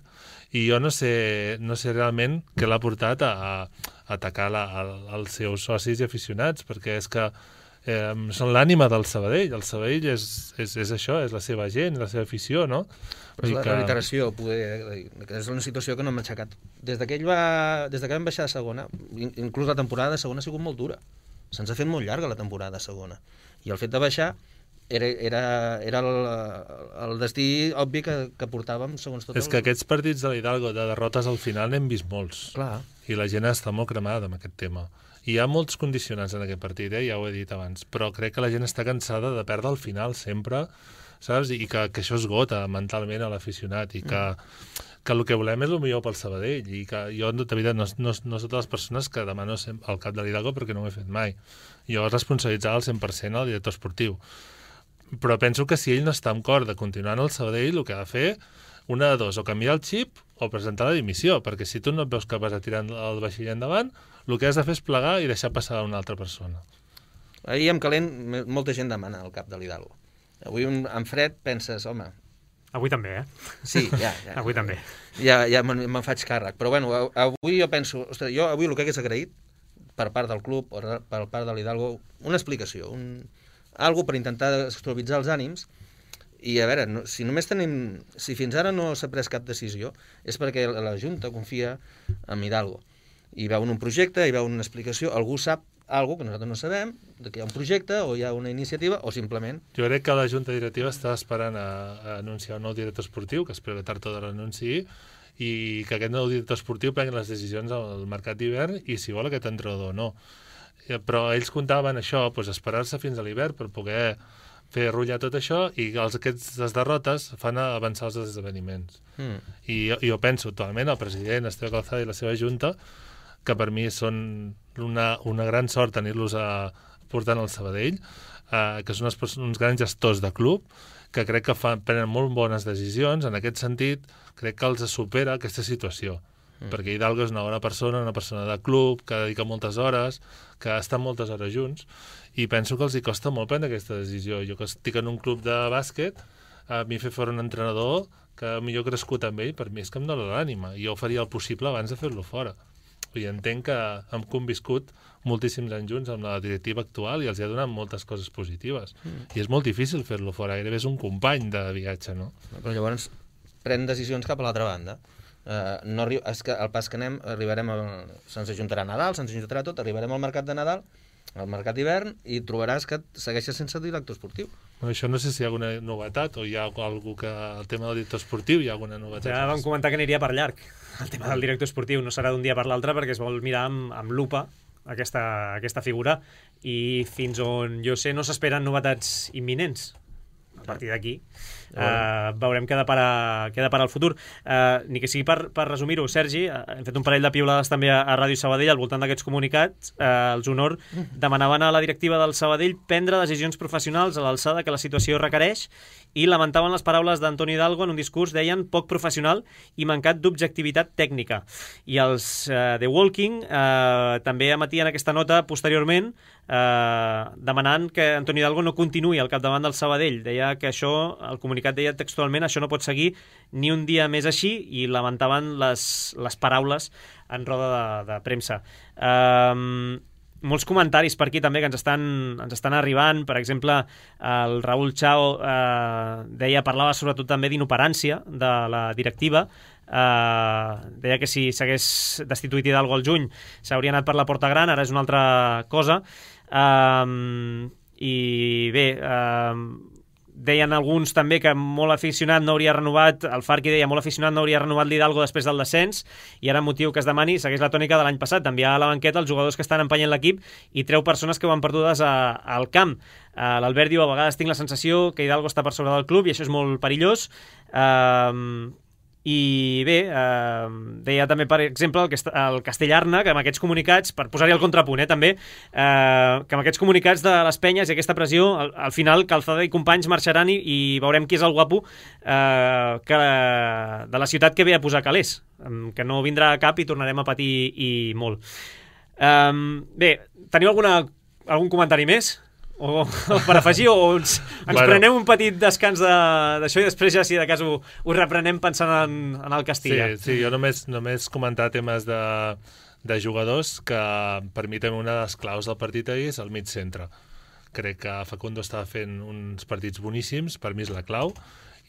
i jo no sé, no sé realment què l'ha portat a, a atacar la, a, als seus socis i aficionats, perquè és que eh, són l'ànima del Sabadell. El Sabadell és, és, és això, és la seva gent, la seva afició, no? Però és la que... reiteració, poder, que és una situació que no m'ha aixecat. Des, va, des que vam baixar a segona, inclús la temporada de segona ha sigut molt dura. Se'ns ha fet molt llarga la temporada de segona. I el fet de baixar era, era, era el, el destí obvi que, que portàvem segons tot. És el... que aquests partits de l'Hidalgo, de derrotes al final, n'hem vist molts. Clar. I la gent està molt cremada amb aquest tema. I hi ha molts condicionants en aquest partit, eh? Ja ho he dit abans, però crec que la gent està cansada de perdre al final sempre, saps? I que, que això esgota mentalment a l'aficionat i que, mm. que el que volem és el millor pel Sabadell i que jo, de veritat, no, no, no soc de les persones que demano al cap de l'Hidalgo perquè no ho he fet mai. Jo responsabilitzava al cent per cent el director esportiu. Però penso que si ell no està en cor de continuar en el Sabadell, el que ha de fer, una de dos, o canviar el xip o presentar la dimissió, perquè si tu no et veus capaç de tirar el vaixell endavant, el que has de fer és plegar i deixar passar a una altra persona. Ahir amb calent molta gent demana el cap de l'Hidalgo. Avui en fred penses, home... Avui també, eh? Sí, ja. ja avui també. Ja, ja me'n me faig càrrec. Però bueno, avui jo penso... Ostres, jo avui el que hagués agraït per part del club o per part de l'Hidalgo, una explicació, un, algo per intentar estabilitzar els ànims. I a veure, no, si només tenim... Si fins ara no s'ha pres cap decisió, és perquè la Junta confia en Hidalgo. I veu un projecte, hi veu una explicació, algú sap algo que nosaltres no sabem, que hi ha un projecte o hi ha una iniciativa, o simplement... Jo crec que la Junta Directiva està esperant a, a anunciar un nou director esportiu, que espero que tard o d'hora l'anunciï, i que aquest nou director esportiu prengui les decisions al mercat d'hivern i si vol aquest entrenador o no. Però ells comptaven això, doncs esperar-se fins a l'hivern per poder fer rotllar tot això i els, aquestes derrotes fan avançar els esdeveniments. Mm. I jo, jo penso actualment el president Esteve Calzada i la seva junta que per mi són una, una gran sort tenir-los portant al Sabadell, eh, que són uns, uns grans gestors de club, que crec que fan, prenen molt bones decisions. En aquest sentit, crec que els supera aquesta situació. Mm. Perquè Hidalgo és una bona persona, una persona de club, que dedica moltes hores, que està moltes hores junts, i penso que els hi costa molt prendre aquesta decisió. Jo que estic en un club de bàsquet, a mi fer fora un entrenador que millor crescut amb ell, per mi és que em dóna l'ànima. Jo faria el possible abans de fer-lo fora. I entenc que hem conviscut moltíssims anys junts amb la directiva actual i els ha donat moltes coses positives. Mm. I és molt difícil fer-lo fora, gairebé és un company de viatge, no? Però llavors pren decisions cap a l'altra banda. Uh, no arri... és que al pas que anem, arribarem a... se'ns ajuntarà Nadal, se'ns ajuntarà tot, arribarem al mercat de Nadal, al mercat d'hivern, i trobaràs que segueixes sense director esportiu. Bueno, això no sé si hi ha alguna novetat o hi ha algú que... el tema del director esportiu hi ha alguna novetat. Ja vam comentar que aniria per llarg. El tema del director esportiu no serà d'un dia per l'altre perquè es vol mirar amb, amb lupa aquesta, aquesta figura i fins on jo sé no s'esperen novetats imminents. A partir d'aquí Uh, veurem què depara, què depara el futur. Uh, ni que sigui per, per resumir-ho, Sergi, uh, hem fet un parell de piulades també a, a Ràdio Sabadell al voltant d'aquests comunicats. Uh, els Honor demanaven a la directiva del Sabadell prendre decisions professionals a l'alçada que la situació requereix i lamentaven les paraules d'Antoni Hidalgo en un discurs, deien, poc professional i mancat d'objectivitat tècnica. I els uh, The Walking uh, també emetien aquesta nota posteriorment uh, demanant que Antoni Hidalgo no continuï al capdavant del Sabadell. Deia que això, el comunicat deia textualment, això no pot seguir ni un dia més així, i lamentaven les, les paraules en roda de, de premsa. Um, molts comentaris per aquí també que ens estan, ens estan arribant. Per exemple, el Raúl Chao uh, deia, parlava sobretot també d'inoperància de la directiva. Uh, deia que si s'hagués destituït Hidalgo al juny s'hauria anat per la porta gran, ara és una altra cosa. Um, i bé, uh, deien alguns també que molt aficionat no hauria renovat, el Farqui deia molt aficionat no hauria renovat l'Hidalgo després del descens, i ara motiu que es demani segueix la tònica de l'any passat, d'enviar a la banqueta els jugadors que estan empenyent l'equip i treu persones que ho han perdudes a, al camp. Uh, L'Albert diu, a vegades tinc la sensació que Hidalgo està per sobre del club i això és molt perillós. Uh, i bé, eh, deia també, per exemple, el, el Castellarna, que amb aquests comunicats, per posar-hi el contrapunt, eh, també, eh, que amb aquests comunicats de les penyes i aquesta pressió, al, al final Calzada i companys marxaran i, i veurem qui és el guapo eh, que, de la ciutat que ve a posar calés, que no vindrà a cap i tornarem a patir i molt. Eh, bé, teniu alguna, algun comentari més? O, o per afegir, o ens, ens bueno. prenem un petit descans d'això de, i després ja, si de cas, ho, ho reprenem pensant en, en el Castilla. Sí, sí, jo només, només comentar temes de, de jugadors que per mi també una de les claus del partit ahir és el mig centre. Crec que Facundo estava fent uns partits boníssims, per mi és la clau,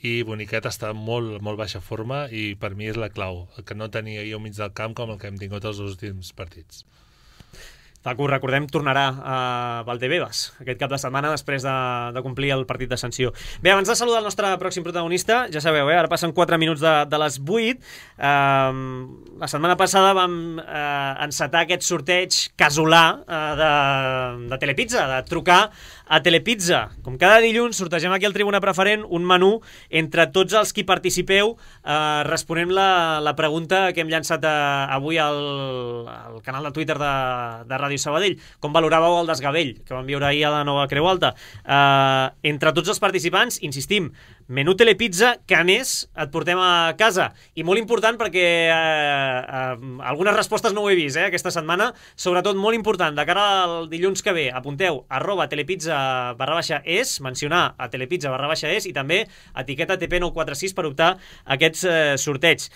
i Boniquet està en molt, molt baixa forma i per mi és la clau, que no tenia ahir al mig del camp com el que hem tingut els últims partits. Facu, recordem, tornarà a Valdebebas aquest cap de setmana després de, de complir el partit de sanció. Bé, abans de saludar el nostre pròxim protagonista, ja sabeu, eh, ara passen quatre minuts de, de les vuit. Eh, la setmana passada vam eh, encetar aquest sorteig casolà eh, de, de Telepizza, de trucar a Telepizza. Com cada dilluns sortegem aquí al Tribuna Preferent un menú entre tots els qui participeu. Eh, responem la, la pregunta que hem llançat eh, avui al, al canal de Twitter de, de Ràdio Sabadell. Com valoràveu el desgavell que vam viure ahir a la nova Creu Alta? Eh, entre tots els participants, insistim, menú Telepizza, que a més et portem a casa. I molt important perquè eh, eh, algunes respostes no ho he vist eh, aquesta setmana, sobretot molt important, de cara al dilluns que ve, apunteu arroba telepizza barra baixa es, mencionar a telepizza barra baixa es i també etiqueta T P nou quatre sis per optar a aquests eh, sorteigs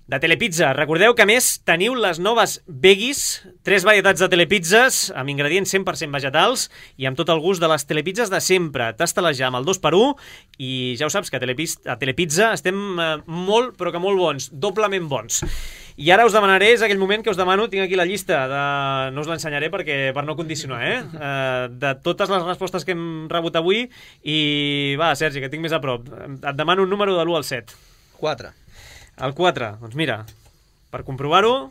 de Telepizza. Recordeu que, a més, teniu les noves veggies, tres varietats de telepizzas amb ingredients cent per cent vegetals i amb tot el gust de les telepizzas de sempre. Tasta-les ja amb el dos per u i ja ho saps que a Telepizza, a Telepizza estem eh, molt, però que molt bons, doblement bons. I ara us demanaré, és aquell moment que us demano, tinc aquí la llista, de... no us l'ensenyaré perquè per no condicionar, eh? eh? De totes les respostes que hem rebut avui i va, Sergi, que tinc més a prop. Et demano un número de l'u al set. quatre. El quatre, doncs mira, per comprovar-ho,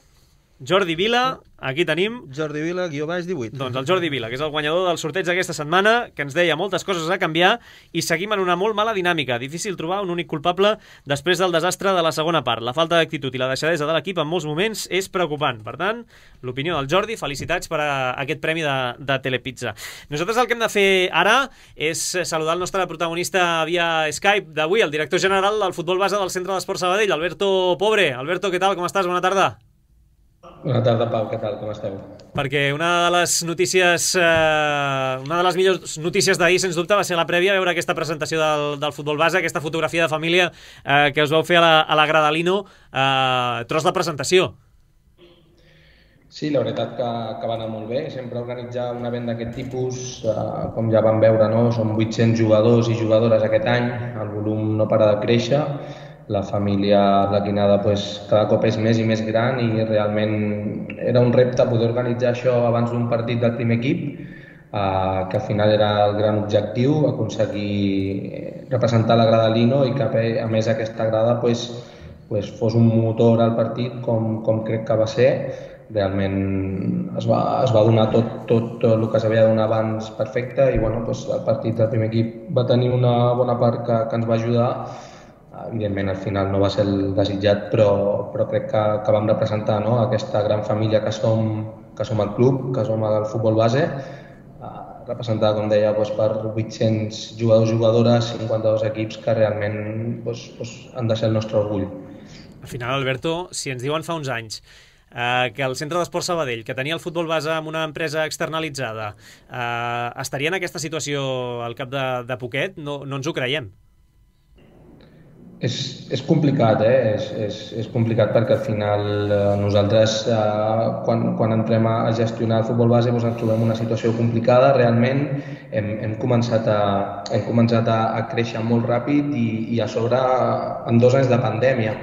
Jordi Vila, aquí tenim... Jordi Vila, guió baix, divuit. Doncs el Jordi Vila, que és el guanyador del sorteig d'aquesta setmana, que ens deia moltes coses a canviar i seguim en una molt mala dinàmica. Difícil trobar un únic culpable després del desastre de la segona part. La falta d'actitud i la deixadesa de l'equip en molts moments és preocupant. Per tant, l'opinió del Jordi, felicitats per a aquest premi de, de Telepizza. Nosaltres el que hem de fer ara és saludar el nostre protagonista via Skype d'avui, el director general del futbol base del Centre d'Esports Sabadell, Alberto Pobre. Alberto, què tal? Com estàs? Bona tarda. Bona tarda, Pau, què tal, com esteu? Perquè una de les notícies, eh, una de les millors notícies d'ahir, sens dubte, va ser la prèvia, veure aquesta presentació del, del futbol base, aquesta fotografia de família eh, que us vau fer a la, a la Gradalino, eh, tros de presentació. Sí, la veritat que, que va anar molt bé. Sempre organitzar un event d'aquest tipus, eh, com ja vam veure, no? Som vuit-cents jugadors i jugadores aquest any, el volum no para de créixer, la família arlequinada pues, cada cop és més i més gran i realment era un repte poder organitzar això abans d'un partit del primer equip, eh, que al final era el gran objectiu, aconseguir representar la Gradalino i que a més aquesta grada pues, pues, fos un motor al partit com, com crec que va ser. Realment es va, es va donar tot, tot, tot el que s'havia de donar abans perfecte i bueno, pues, el partit del primer equip va tenir una bona part que, que ens va ajudar. Evidentment al final no va ser el desitjat, però, però crec que, que vam representar, no? Aquesta gran família que som, que som el club, que som el futbol base, representada, com deia, doncs, per vuit-cents jugadors i jugadores, cinquanta-dos equips que realment doncs, doncs, han de ser el nostre orgull. Al final, Alberto, si ens diuen fa uns anys eh, que el Centre d'Esport Sabadell, que tenia el futbol base amb una empresa externalitzada, eh, estaria en aquesta situació al cap de, de poquet, no, no ens ho creiem. És, és complicat, eh? és, és, és complicat perquè al final eh, nosaltres eh, quan, quan entrem a gestionar el futbol base doncs ens trobem en una situació complicada. Realment hem, hem començat, a, hem començat a, a créixer molt ràpid i, i a sobre en dos anys de pandèmia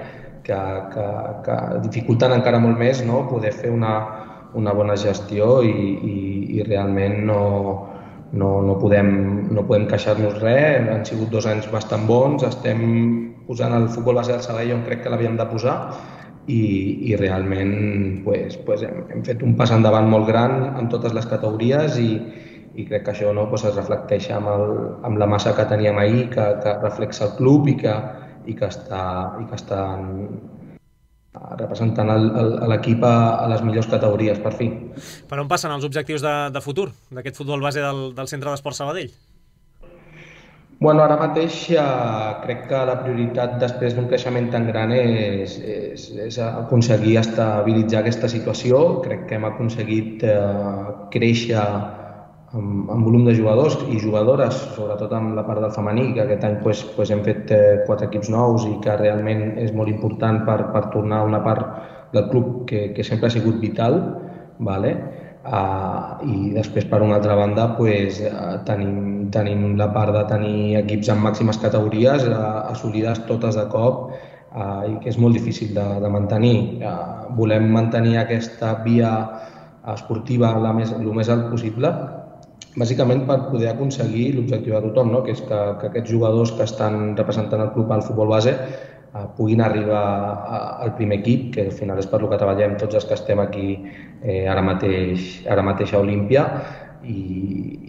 que, que, que dificulten encara molt més, no? Poder fer una, una bona gestió i, i, i realment no, no, no podem, no podem queixar-nos res. Han sigut dos anys bastant bons, estem posant el futbol base del Sabadell on crec que l'havíem de posar i, i realment pues, pues hem, hem fet un pas endavant molt gran en totes les categories i, i crec que això no, pues, es reflecteix amb, el, amb la massa que teníem ahir, que, que reflexa el club i que, i que està, i que està representant l'equip a, a les millors categories, per fi. Per on passen els objectius de, de futur d'aquest futbol base del, del Centre d'Esport Sabadell? Bueno, ara mateix eh, crec que la prioritat després d'un creixement tan gran és, és, és aconseguir estabilitzar aquesta situació. Crec que hem aconseguit eh, créixer amb, amb volum de jugadors i jugadores, sobretot amb la part del femení, que aquest any pues, pues, hem fet eh, quatre equips nous i que realment és molt important per, per tornar a una part del club que, que sempre ha sigut vital. Vale? Uh, i després per una altra banda pues, uh, tenim, tenim la part de tenir equips en màximes categories uh, assolides totes de cop uh, i que és molt difícil de, de mantenir. Uh, volem mantenir aquesta via esportiva la més, el més alt possible, bàsicament per poder aconseguir l'objectiu de tothom, no? Que és que, que aquests jugadors que estan representant el club al futbol base Uh, puguin arribar a, al primer equip, que al final és per lo que treballem tots els que estem aquí eh, ara mateix, ara mateix a Olímpia i,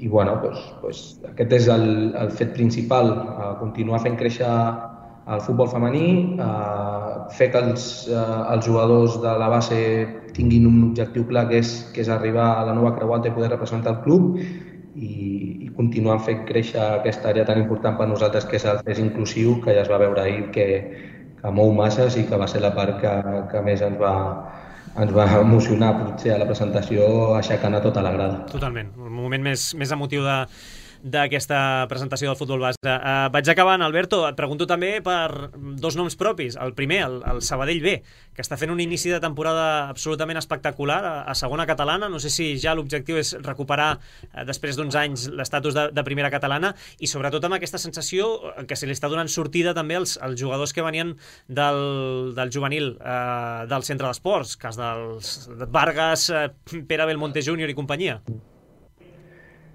i bueno, pues, pues, aquest és el, el fet principal, uh, continuar fent créixer el futbol femení, uh, fer que els, uh, els jugadors de la base tinguin un objectiu clar que és, que és arribar a la nova creuata i poder representar el club i, i continuar fent créixer aquesta àrea tan important per nosaltres que és el fes inclusiu, que ja es va veure ahir que que mou masses i que va ser la part que, que més ens va, ens va emocionar potser a la presentació, aixecant a tota la grada. Totalment, un moment més, més emotiu de d'aquesta presentació del futbol base. Uh, vaig acabant, Alberto, et pregunto també per dos noms propis. El primer, el, el Sabadell B, que està fent un inici de temporada absolutament espectacular a, a segona catalana. No sé si ja l'objectiu és recuperar uh, després d'uns anys l'estatus de, de primera catalana i sobretot amb aquesta sensació que se li està donant sortida també als, als jugadors que venien del, del juvenil uh, del centre d'esports, cas dels Vargas, uh, Pere Belmonte júnior i companyia.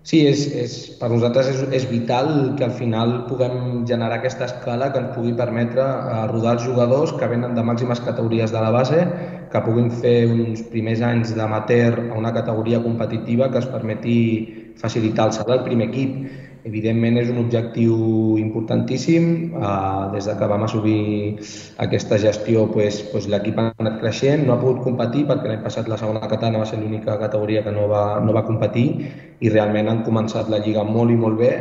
Sí, és, és, per nosaltres és, és vital que al final puguem generar aquesta escala que ens pugui permetre rodar els jugadors que venen de màximes categories de la base, que puguin fer uns primers anys d'amateur a una categoria competitiva que es permeti facilitar el salt al primer equip. Evidentment és un objectiu importantíssim. Uh, des que vam assolir aquesta gestió pues, pues, l'equip ha anat creixent, no ha pogut competir perquè l'any passat la segona catalana va ser l'única categoria que no va, no va competir i realment han començat la lliga molt i molt bé,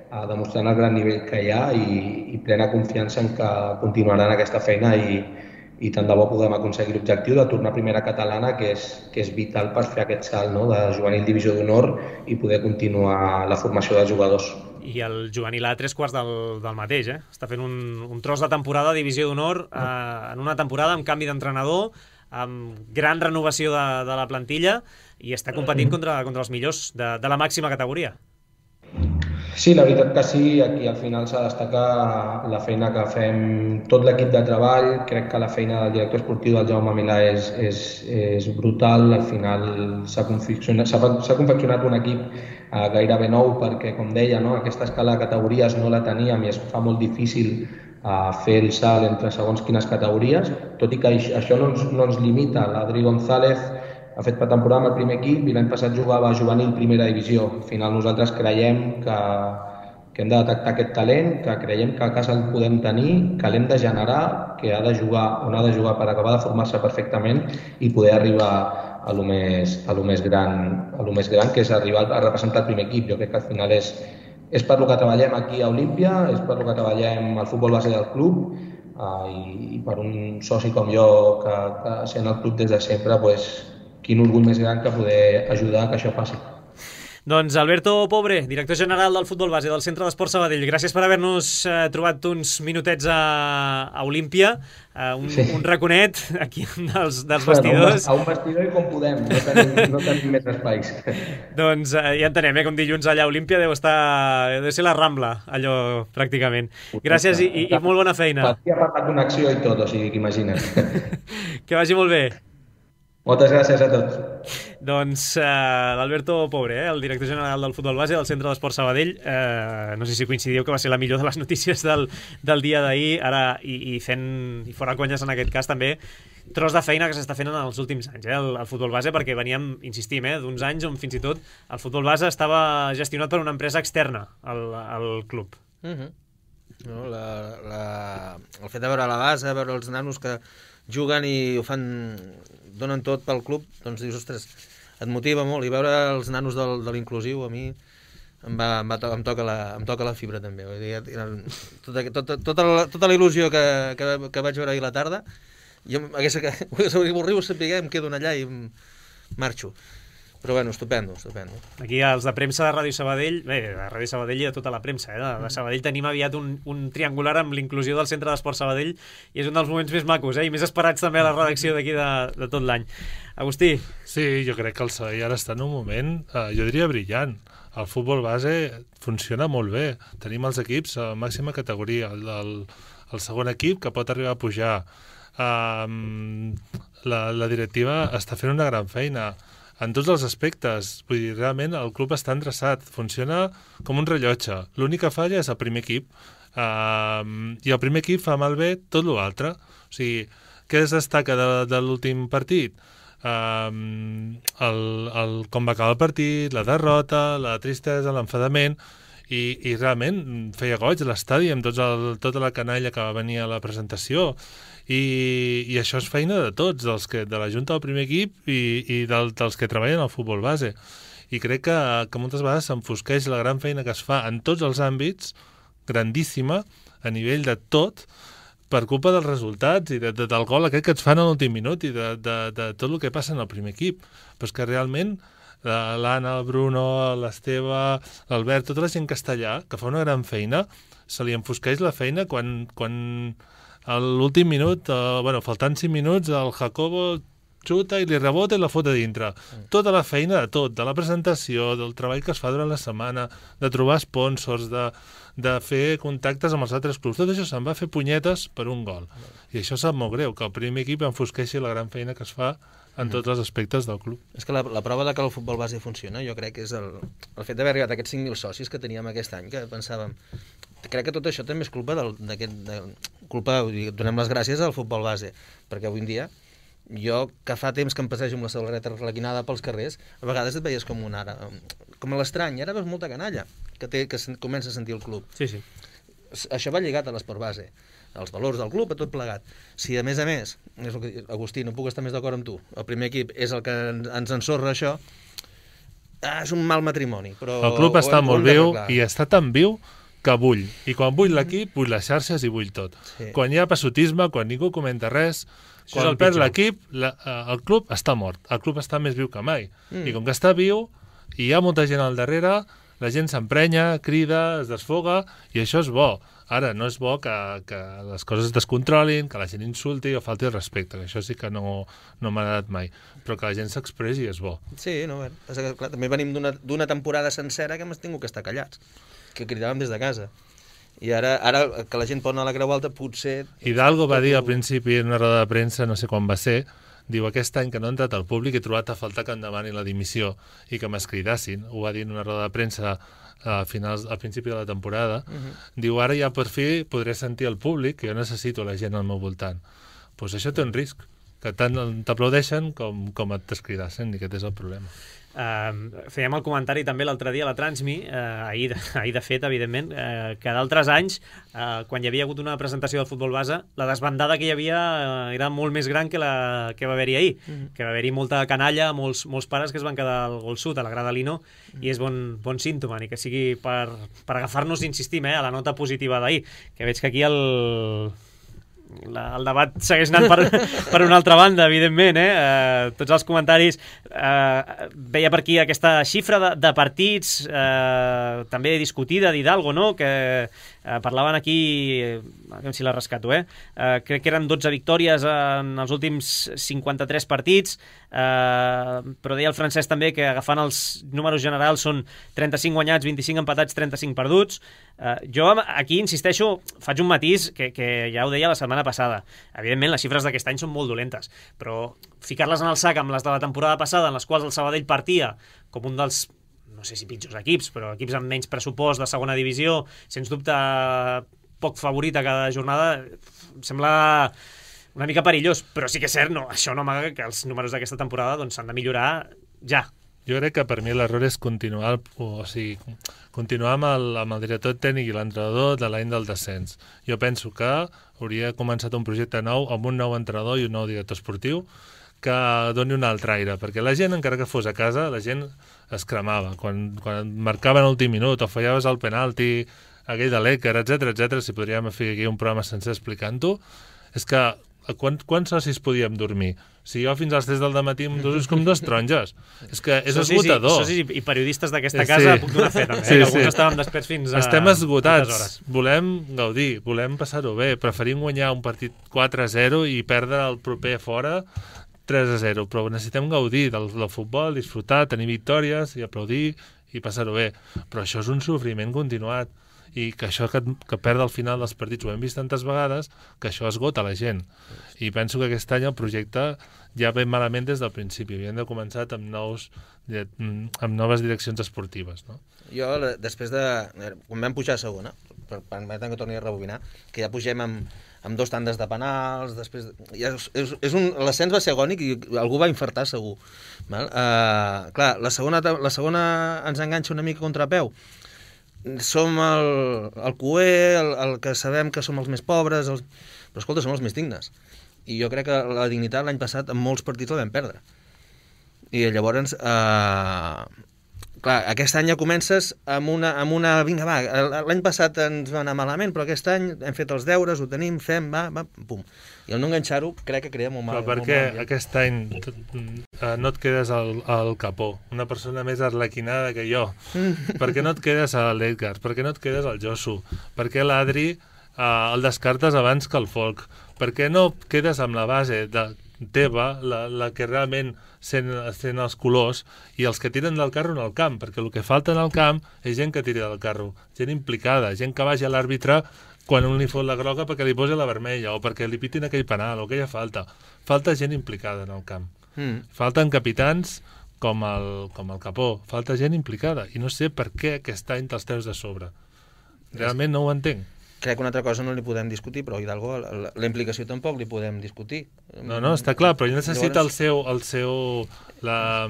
uh, demostrant el gran nivell que hi ha i, i plena confiança en que continuaran aquesta feina i, i tant de bo podem aconseguir l'objectiu de tornar a primera catalana, que és, que és vital per fer aquest salt, no?, de juvenil divisió d'honor i poder continuar la formació de jugadors. I el juvenil A tres quarts del, del mateix, eh? Està fent un, un tros de temporada a divisió d'honor eh, en una temporada amb canvi d'entrenador, amb gran renovació de, de la plantilla i està competint contra, contra els millors de, de la màxima categoria. Sí, la veritat que sí, aquí al final s'ha de destacar la feina que fem tot l'equip de treball. Crec que la feina del director esportiu del Jaume Milà és, és, és brutal. Al final s'ha confeccionat, s'ha confeccionat un equip eh, gairebé nou perquè, com deia, no, aquesta escala de categories no la teníem i es fa molt difícil eh, fer el salt entre segons quines categories, tot i que això no ens, no ens limita. L'Adri González ha fet pretemporada amb el primer equip i l'any passat jugava a juvenil primera divisió. Al final nosaltres creiem que, que hem de detectar aquest talent, que creiem que a casa el podem tenir, que l'hem de generar, que ha de jugar on ha de jugar per acabar de formar-se perfectament i poder arribar a lo més, a lo més gran, a lo més gran, que és arribar a representar el primer equip. Jo crec que al final és, és per lo que treballem aquí a Olímpia, és per lo que treballem al futbol base del club, uh, i, i per un soci com jo que, que sent el club des de sempre, pues, quin orgull més gran que poder ajudar que això passi. Doncs Alberto Pobre, director general del futbol base del Centre d'Esport Sabadell, gràcies per haver-nos eh, trobat uns minutets a, a Olímpia, eh, un, sí. un raconet aquí dels, dels vestidors. A un vestidor i com podem, no tenim, no tenim més espais. Doncs eh, ja entenem, eh, com dilluns allà a Olímpia deu estar, deu ser la Rambla, allò pràcticament. Gràcies i, i, i molt bona feina. Ha parlat d'una acció i tot, o sigui que imagina't. Que vagi molt bé. Moltes gràcies a tots. Doncs eh, l'Alberto Pobre, eh, el director general del futbol base del Centre d'Esport Sabadell, eh, no sé si coincidiu que va ser la millor de les notícies del, del dia d'ahir, ara i, i fent, i fora conyes en aquest cas també, tros de feina que s'està fent en els últims anys, eh, el, el futbol base, perquè veníem, insistim, eh, d'uns anys on fins i tot el futbol base estava gestionat per una empresa externa al, al club. Uh-huh. No, la, la, el fet de veure la base, veure els nanos que juguen i ho fan, donen tot pel club, doncs dius, ostres, et motiva molt, i veure els nanos del, de l'inclusiu a mi em, va, em, va to, em, toca la, em toca la fibra també. Vull dir, tota, tota, tota, la, tota la il·lusió que, que, que vaig veure ahir a la tarda, jo hagués que m'ho saber, em quedo allà i em marxo. Però bueno, estupendo, estupendo. Aquí els de premsa de Ràdio Sabadell, bé, de Ràdio Sabadell i de tota la premsa, eh? de, de Sabadell tenim aviat un, un triangular amb l'inclusió del Centre d'Esport Sabadell i és un dels moments més macos, eh? I més esperats també a la redacció d'aquí de, de tot l'any. Agustí? Sí, jo crec que el Sabadell ara està en un moment, eh, jo diria brillant. El futbol base funciona molt bé. Tenim els equips a màxima categoria. El, el, el segon equip que pot arribar a pujar. Um, la, la directiva està fent una gran feina en tots els aspectes. Vull dir, realment el club està endreçat, funciona com un rellotge. L'única falla és el primer equip. Uh, I el primer equip fa malbé tot l'altre. O sigui, què es destaca de, de l'últim partit? Uh, el, el, com va acabar el partit, la derrota, la tristesa, l'enfadament, i, i realment feia goig l'estadi amb tots el, tota la canalla que va venir a la presentació. I, i això és feina de tots, dels que, de la Junta del primer equip i, i del, dels que treballen al futbol base. I crec que, que moltes vegades s'enfosqueix la gran feina que es fa en tots els àmbits, grandíssima, a nivell de tot, per culpa dels resultats i de, de, del gol aquest que ens fan a l'últim minut i de, de, de tot el que passa en el primer equip. Però és que realment l'Anna, el Bruno, l'Esteve, l'Albert, tota la gent que està allà, que fa una gran feina, se li enfosqueix la feina quan... quan a l'últim minut, eh, bueno, faltant cinc minuts, el Jacobo xuta i li rebota i la fota dintre. Mm. Tota la feina de tot, de la presentació, del treball que es fa durant la setmana, de trobar sponsors, de, de fer contactes amb els altres clubs, tot això se'n va fer punyetes per un gol. Mm. I això sap molt greu, que el primer equip enfosqueixi la gran feina que es fa en tots els aspectes del club. És que la, la prova de que el futbol base funciona, jo crec que és el, el fet d'haver arribat a aquests cinc mil socis que teníem aquest any, que pensàvem... Crec que tot això també és culpa d'aquest... De, culpa, donem les gràcies al futbol base, perquè avui en dia, jo que fa temps que em passejo amb la samarreta arlequinada pels carrers, a vegades et veies com un ara, com a l'estrany, ara veus molta canalla que, té, que comença a sentir el club. Sí, sí. Això va lligat a l'esport base, als valors del club, a tot plegat. Si a més a més, és el que, Agustí, no puc estar més d'acord amb tu, el primer equip és el que ens ensorra això, ah, és un mal matrimoni. Però el club està molt viu i està tan viu que bull. I quan bull l'equip, bull les xarxes i bull tot. Sí. Quan hi ha passotisme, quan ningú comenta res, Això és quan el perd pitjor. l'equip, la, el club està mort. El club està més viu que mai. Mm. I com que està viu, i hi ha molta gent al darrere, la gent s'emprenya, crida, es desfoga, i això és bo. Ara, no és bo que, que les coses es descontrolin, que la gent insulti o falti el respecte, que això sí que no, no m'ha agradat mai. Però que la gent s'expressi és bo. Sí, no, bé. Passa que, clar, també venim d'una d'una temporada sencera que hem tingut que estar callats, que cridàvem des de casa. I ara, ara que la gent pot anar a la Creu Alta, potser... Hidalgo va dir al principi en una roda de premsa, no sé quan va ser, diu, aquest any que no ha entrat al públic he trobat a faltar que em demani la dimissió i que m'escridassin. Ho va dir en una roda de premsa a finals, al principi de la temporada. Uh -huh. Diu, ara ja per fi podré sentir el públic, que jo necessito la gent al meu voltant. Doncs pues això té un risc, que tant t'aplaudeixen com, com et t'escridassen, i aquest és el problema. Uh, fèiem el comentari també l'altre dia a la Transmi, uh, ahir, de, ahir de fet, evidentment, uh, que d'altres anys, uh, quan hi havia hagut una presentació del futbol base, la desbandada que hi havia uh, era molt més gran que la que va haver-hi ahir, mm-hmm. que va haver-hi molta canalla, molts, molts pares que es van quedar al gol sud, a la grada Lino, mm-hmm. i és bon, bon símptoma, ni que sigui per, per agafar-nos, insistim, eh, a la nota positiva d'ahir, que veig que aquí el... La, el debat segueix anant per, per una altra banda, evidentment, eh? Uh, tots els comentaris. Uh, veia per aquí aquesta xifra de, de partits uh, també discutida d'Hidalgo, no? Que uh, parlaven aquí, a veure si la rescato, eh? Uh, crec que eren dotze victòries en els últims cinquanta-tres partits, uh, però deia el Francesc també que agafant els números generals són trenta-cinc guanyats, vint-i-cinc empatats, trenta-cinc perduts. Uh, jo aquí insisteixo, faig un matís que, que ja ho deia la setmana passada. Evidentment, les xifres d'aquest any són molt dolentes, però ficar-les en el sac amb les de la temporada passada, en les quals el Sabadell partia com un dels, no sé si pitjors equips, però equips amb menys pressupost de segona divisió, sens dubte poc favorit a cada jornada, em sembla una mica perillós, però sí que és cert, no, això no amaga que els números d'aquesta temporada doncs, s'han de millorar ja. Jo crec que per mi l'error és continuar, o sigui, continuar amb el, amb el director tècnic i l'entrenador de l'any del descens. Jo penso que hauria començat un projecte nou amb un nou entrenador i un nou director esportiu que doni un altre aire, perquè la gent, encara que fos a casa, la gent es cremava. Quan, quan marcaven l'últim minut o fallaves el penalti, aquell de l'Èquer, etcètera, etcètera, si podríem fer aquí un programa sencer explicant-ho, és que quants, quants socis podíem dormir? Si jo fins als tres del dematí amb dos com dos taronges. És que és socis esgotador. I, socis i periodistes d'aquesta sí. casa puc donar fe, també, sí, eh? que sí. alguns estàvem desperts fins a... Estem esgotats. Volem gaudir, volem passar-ho bé. Preferim guanyar un partit quatre a zero i perdre el proper fora tres a zero, però necessitem gaudir del, del futbol, disfrutar, tenir victòries i aplaudir i passar-ho bé. Però això és un sofriment continuat. I que això que, que perd al final dels partits ho hem vist tantes vegades, que això esgota la gent. I penso que aquest any el projecte ja ve malament des del principi. Havíem de començar amb, nous, amb noves direccions esportives. No? Jo, després de... Quan vam pujar a segona, permetem que torni a rebobinar, que ja pugem amb, amb dos tandes de penals, després... Ja és, és, és un... L'ascens va ser agònic i algú va infartar segur. Val? Uh, clar, la segona, la segona ens enganxa una mica contra peu. Som el, el cuer, el, el que sabem que som els més pobres, els... però escolta, som els més dignes. I jo crec que la dignitat l'any passat en molts partits la vam perdre. I llavors, eh, clar, aquest any ja comences amb una, amb una... Vinga, va, l'any passat ens va anar malament, però aquest any hem fet els deures, ho tenim, fem, va, va, pum. I el no enganxar-ho crec que crea molt mal. Però per què aquest any eh, no et quedes al, al capó? Una persona més arlequinada que jo. Per què no et quedes a l'Edgar? Per què no et quedes al Josu? Per què l'Adri eh, el descartes abans que el Folk? Per què no et quedes amb la base de teva, la, la que realment sent, sent els colors, i els que tiren del carro en el camp? Perquè el que falta en el camp és gent que tiri del carro, gent implicada, gent que vagi a l'àrbitre quan un li fot la groga perquè li posi la vermella o perquè li pitin aquell penal o aquella falta. Falta gent implicada en el camp. Mm. Falten capitans com el, com el Capó. Falta gent implicada. I no sé per què aquest any te'ls treus de sobre. Realment no ho entenc. Crec que una altra cosa no li podem discutir, però Hidalgo, la, la implicació tampoc li podem discutir. No, no, està clar, però ell necessita el seu, el seu, la,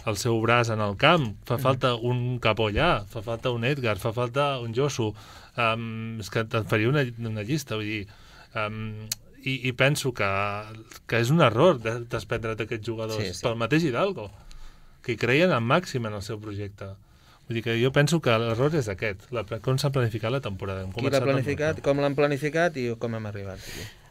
el seu braç en el camp. Fa falta un Capó allà, fa falta un Edgar, fa falta un Josu. Um, és que te'n faria una, una llista, vull dir... Um, i, i penso que, que és un error de, desprendre't d'aquests jugadors, sí, sí. Pel mateix Hidalgo, que hi creien en màxim en el seu projecte. Vull dir que jo penso que l'error és aquest, la, com s'ha planificat la temporada. Qui l'ha planificat, com l'han planificat i com hem arribat.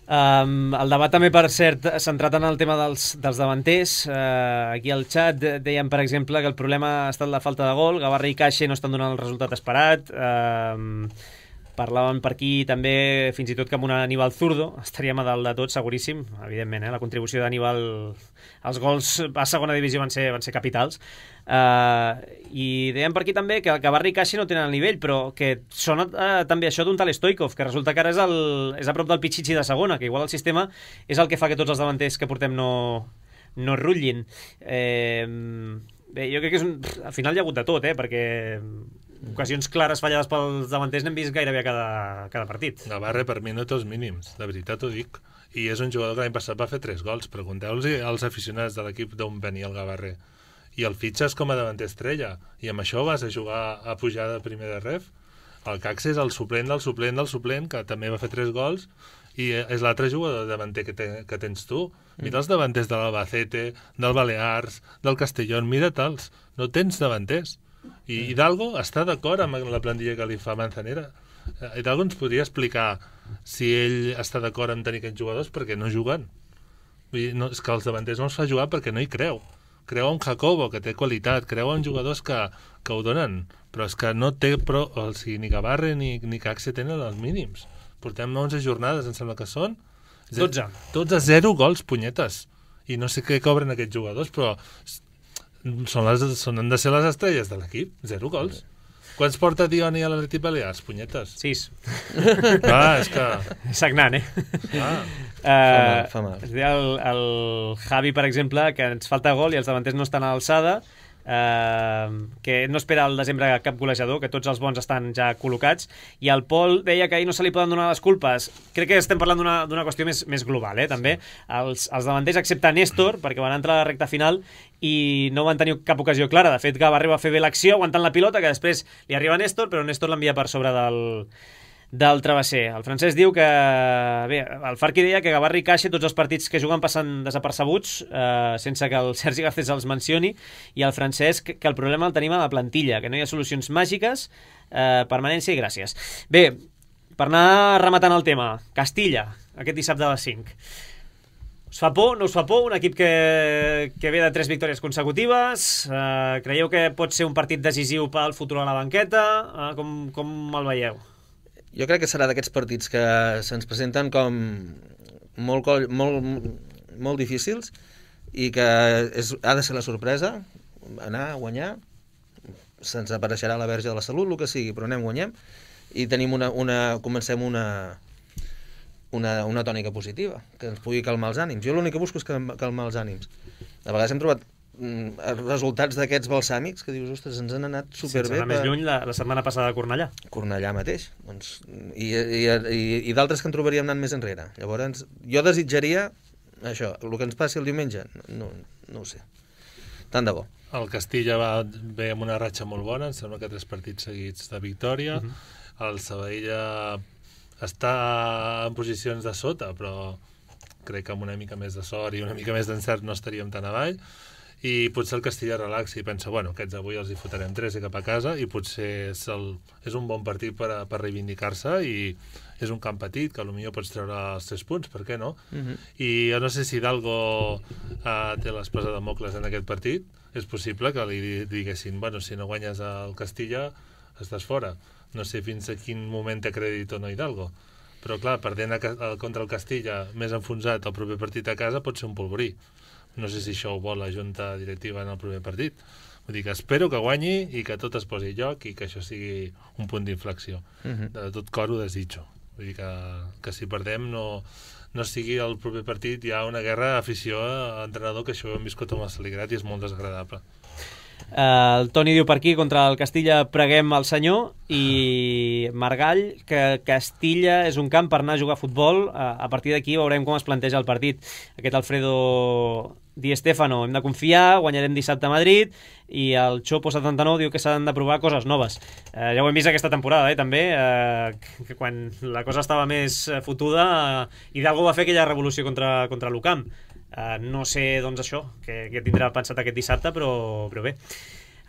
Um, el debat també, per cert, centrat en el tema dels, dels davanters. Uh, aquí al xat deien, per exemple, que el problema ha estat la falta de gol. Gavarra i Caixa no estan donant el resultat esperat. Uh, Parlaven per aquí també, fins i tot, que amb un Aníbal zurdo estaríem a dalt de tot, seguríssim. Evidentment, eh? La contribució d'Aníbal, els gols a segona divisió van ser, van ser capitals. Uh, I deien per aquí també que Gavarra i Caixa no tenen el nivell, però que sona uh, també això d'un tal Stoikov, que resulta que ara és, el, és a prop del Pichichi de segona, que igual el sistema és el que fa que tots els davanters que portem no, no rutllin. Eh, bé, jo crec que és un... al final hi ha hagut de tot, eh? Perquè ocasions clares fallades pels davanters n'hem vist gairebé a cada, cada partit. Gavarra per mi no té els mínims, de veritat ho dic. I és un jugador que l'any passat va fer tres gols. Pregunteu-los als aficionats de l'equip d'on venia el Gavarra. I el fitxes com a davanter estrella. I amb això vas a jugar a pujar de primer de ref. El Cax és el suplent del suplent del suplent, que també va fer tres gols, i és l'altre jugador davanter que, te, que tens tu. Mira els davanters de l'Albacete, del Balears, del Castellón, mira-te'ls. No tens davanters. I Hidalgo està d'acord amb la plantilla que li fa Manzanera. Hidalgo ens podria explicar si ell està d'acord amb tenir aquests jugadors perquè no juguen. Vull dir, no, és que els davanters no els fa jugar perquè no hi creu. Creu en Jacobo, que té qualitat, creu en jugadors que, que ho donen, però és que no té pro, o sigui, ni Gavarra ni, ni Caxe tenen els mínims. Portem onze jornades, em sembla que són. dotze. dotze, zero gols, punyetes. I no sé què cobren aquests jugadors, però són, les, són han de ser les estrelles de l'equip. Zero gols. Quants porta Dioni a l'Atlètic Balears? Punyetes. Sis. Ah, és que... Sagnant, eh? Ah. Uh, fa mal, fa mal. El, el Javi, per exemple, que ens falta gol i els davanters no estan a l'alçada, uh, que no espera al desembre cap golejador, que tots els bons estan ja col·locats, i el Pol deia que ahir no se li poden donar les culpes. Crec que estem parlant d'una qüestió més, més global, eh, també. Els, els davanters, excepte Néstor, perquè van entrar a la recta final i no van tenir cap ocasió clara. De fet, Gavarra va fer bé l'acció aguantant la pilota, que després li arriba a Néstor, però Néstor l'envia per sobre del, del travesser. El Francesc diu que... Bé, el Farqui deia que Gavarra i Caixa tots els partits que juguen passen desapercebuts, eh, sense que el Sergi Garcés els mencioni, i el Francesc que el problema el tenim a la plantilla, que no hi ha solucions màgiques, eh, permanència i gràcies. Bé, per anar rematant el tema, Castilla, aquest dissabte a les cinc. Us fa por? No us fa por? Un equip que, que ve de tres victòries consecutives. Eh, creieu que pot ser un partit decisiu pel futur a la banqueta? Eh, com, com el veieu? Jo crec que serà d'aquests partits que se'ns presenten com molt, molt, molt difícils i que és, ha de ser la sorpresa, anar a guanyar, se'ns apareixerà la verge de la salut, el que sigui, però anem, guanyem, i tenim una, una, comencem una... Una, una tònica positiva, que ens pugui calmar els ànims. Jo l'únic que busco és calmar els ànims. A vegades hem trobat mm, resultats d'aquests balsàmics que dius, ostres, ens han anat superbé. Sense anar més lluny, la, la setmana passada a Cornellà. Cornellà mateix. Doncs, I i, i, i d'altres que en trobaríem anant més enrere. Llavors, jo desitjaria això, el que ens passi el diumenge, no, no ho sé. Tant de bo. El Castilla va bé amb una ratxa molt bona, em sembla que tres partits seguits de victòria. Uh -huh. El Sabadell està en posicions de sota, però crec que amb una mica més de sort i una mica més d'encert no estaríem tan avall, i potser el Castilla relaxa i pensa, bueno, aquests avui els hi fotrem tres i cap a casa, i potser és, el, és un bon partit per, a, per reivindicar-se, i és un camp petit, que potser pots treure els tres punts, per què no? Uh-huh. I jo no sé si Hidalgo uh, té l'espasa de Mocles en aquest partit, és possible que li diguessin, bueno, si no guanyes el Castilla, estàs fora. No sé fins a quin moment té crèdit o no Hidalgo. Però, clar, perdent a, a, contra el Castilla més enfonsat el proper partit a casa pot ser un polvorí. No sé si això ho vol la junta directiva en el proper partit. Vull dir que espero que guanyi i que tot es posi a lloc i que això sigui un punt d'inflexió. Uh-huh. De tot cor ho desitjo. Vull dir que, que si perdem no, no sigui el proper partit ja una guerra afició a entrenador, que això ho hem viscut amb el Saligrat i és molt desagradable. Uh, el Toni diu per aquí, contra el Castilla preguem al senyor, i Margall, que Castilla és un camp per anar a jugar a futbol. Uh, a partir d'aquí veurem com es planteja el partit. Aquest Alfredo Di Stefano, hem de confiar, guanyarem dissabte a Madrid, i el Chopo setanta-nou diu que s'han de provar coses noves. Uh, ja ho hem vist aquesta temporada, eh, també, uh, que quan la cosa estava més fotuda, uh, Hidalgo va fer aquella revolució contra, contra l'U C A M. Uh, no sé, doncs, això, que, que tindrà pensat aquest dissabte, però, però bé.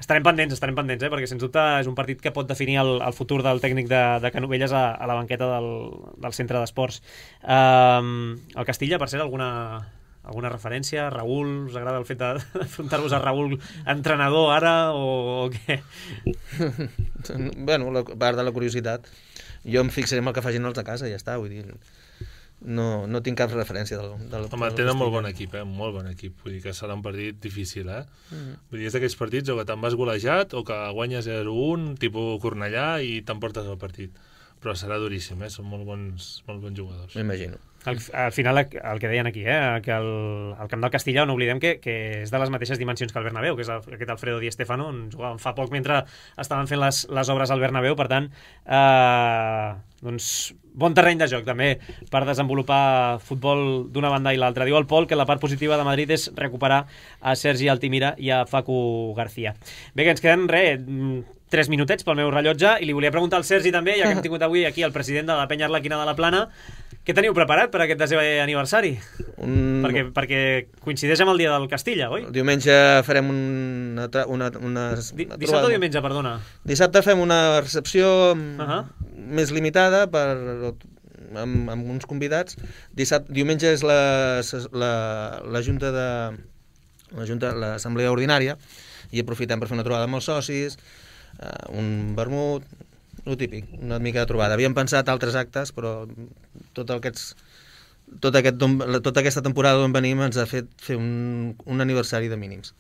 estarem pendents, estarem pendents, eh? Perquè sens dubte és un partit que pot definir el, el futur del tècnic de, de Canovelles a, a la banqueta del, del centre d'esports. Um, el Castilla, per cert, alguna, alguna referència? Raül, us agrada el fet d'afrontar-vos a Raül entrenador ara o, o què? Bueno, la part de la curiositat. Jo em fixaré en el que facin els de casa i ja està, vull dir... No, no tinc cap referència del, del Home, tenen molt bon equip, eh? Molt bon equip. Vull dir que serà un partit difícil, eh? Mm. Vull dir, és d'aquells partits o que te'n vas golejat o que guanyes zero un, tipus Cornellà, i t'emportes el partit. Però serà duríssim, eh? Són molt bons, molt bons jugadors. M'imagino. Al, al final, el que deien aquí, eh? Que el, el camp del Castilla, no oblidem que, que és de les mateixes dimensions que el Bernabéu, que és el, aquest Alfredo Di Stéfano, on jugaven fa poc mentre estaven fent les, les obres al Bernabéu, per tant, eh, doncs, bon terreny de joc també per desenvolupar futbol d'una banda i l'altra. Diu el Pol que la part positiva de Madrid és recuperar a Sergi Altimira i a Facu García. Bé, que ens queden, res, tres minutets pel meu rellotge, i li volia preguntar al Sergi també, ja que hem tingut avui aquí el president de la Penya Arlequina de la Plana, què teniu preparat per aquest desè aniversari? Un... Perquè, perquè coincideix amb el dia del Castilla, oi? El diumenge farem una... una, una, Di, una dissabte o diumenge, perdona? Dissabte fem una recepció uh -huh. més limitada per, amb, amb uns convidats. Dissabte, diumenge és la, la, la junta de la junta, l'assemblea ordinària, i aprofitem per fer una trobada amb els socis, uh, un vermut, el típic, una mica de trobada. Havíem pensat altres actes, però tot aquests, tot aquest, tota aquesta temporada d'on venim ens ha fet fer un, un aniversari de mínims.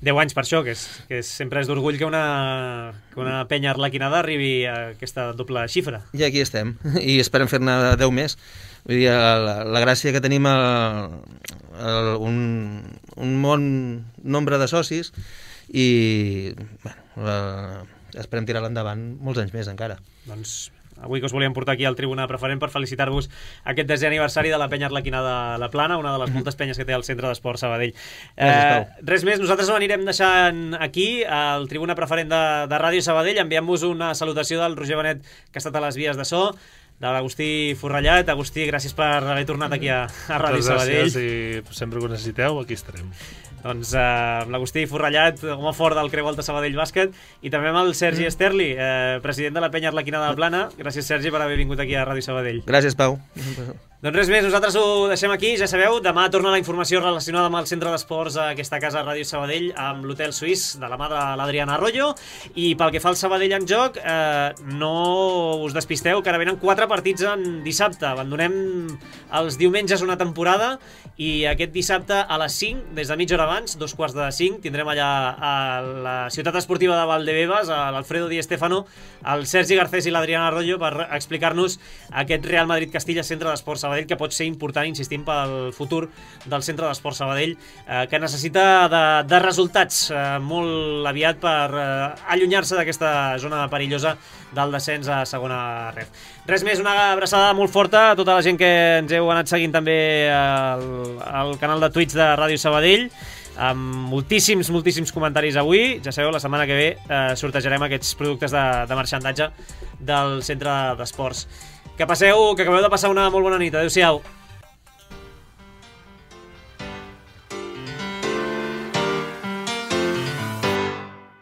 deu anys per això, que, és, que és, sempre és d'orgull que una, que una penya arlequinada arribi a aquesta doble xifra. I aquí estem, i esperem fer-ne deu més. Vull dir, la, la gràcia que tenim el, el, un, un bon nombre de socis, i bueno, la, esperem tirar-la endavant molts anys més encara. Doncs avui que us volíem portar aquí al Tribuna Preferent per felicitar-vos aquest desè aniversari de la Penya Arlequina de la Plana, una de les moltes penyes que té el Centre d'Esport Sabadell. Gràcies, eh, res més, nosaltres ho anirem deixant aquí al Tribuna Preferent de, de Ràdio Sabadell. Enviem-vos una salutació del Roger Benet, que ha estat a les vies de so, de l'Agustí Forrellat. Agustí, gràcies per haver tornat aquí a, a Ràdio Sabadell. Gràcies, i sempre que ho necessiteu, aquí estarem. Doncs eh, amb l'Agustí Forrellat, home fort del Creu Alta Sabadell Bàsquet, i també amb el Sergi Esterli, eh, president de la Penya Arlequina de la Plana. Gràcies, Sergi, per haver vingut aquí a Ràdio Sabadell. Gràcies, Pau. Doncs res més, nosaltres ho deixem aquí, ja sabeu, demà torna la informació relacionada amb el Centre d'Esports a aquesta casa Ràdio Sabadell, amb l'Hotel Suís, de la mà de l'Adriana Arroyo, i pel que fa al Sabadell en joc, eh, no us despisteu, que ara venen quatre partits en dissabte. Abandonem els diumenges una temporada, i aquest dissabte a les cinc, des de mitja hora abans, dos quarts de cinc, tindrem allà a la ciutat esportiva de Valdebebas, a l'Alfredo Di Stéfano, el Sergi Garcés i l'Adriana Arroyo, per explicar-nos aquest Real Madrid-Castilla Centre d'Esports Sabadell, que pot ser important, insistim, pel futur del Centre d'Esport Sabadell, eh, que necessita de, de resultats eh, molt aviat per eh, allunyar-se d'aquesta zona perillosa del descens a segona ref. Res més, una abraçada molt forta a tota la gent que ens heu anat seguint també al, al canal de Twitch de Ràdio Sabadell, amb moltíssims, moltíssims comentaris avui. Ja sabeu, la setmana que ve eh, sortejarem aquests productes de, de marxandatge del Centre d'Esports. Que passeu, que acabeu de passar una molt bona nit. Adéu-siau.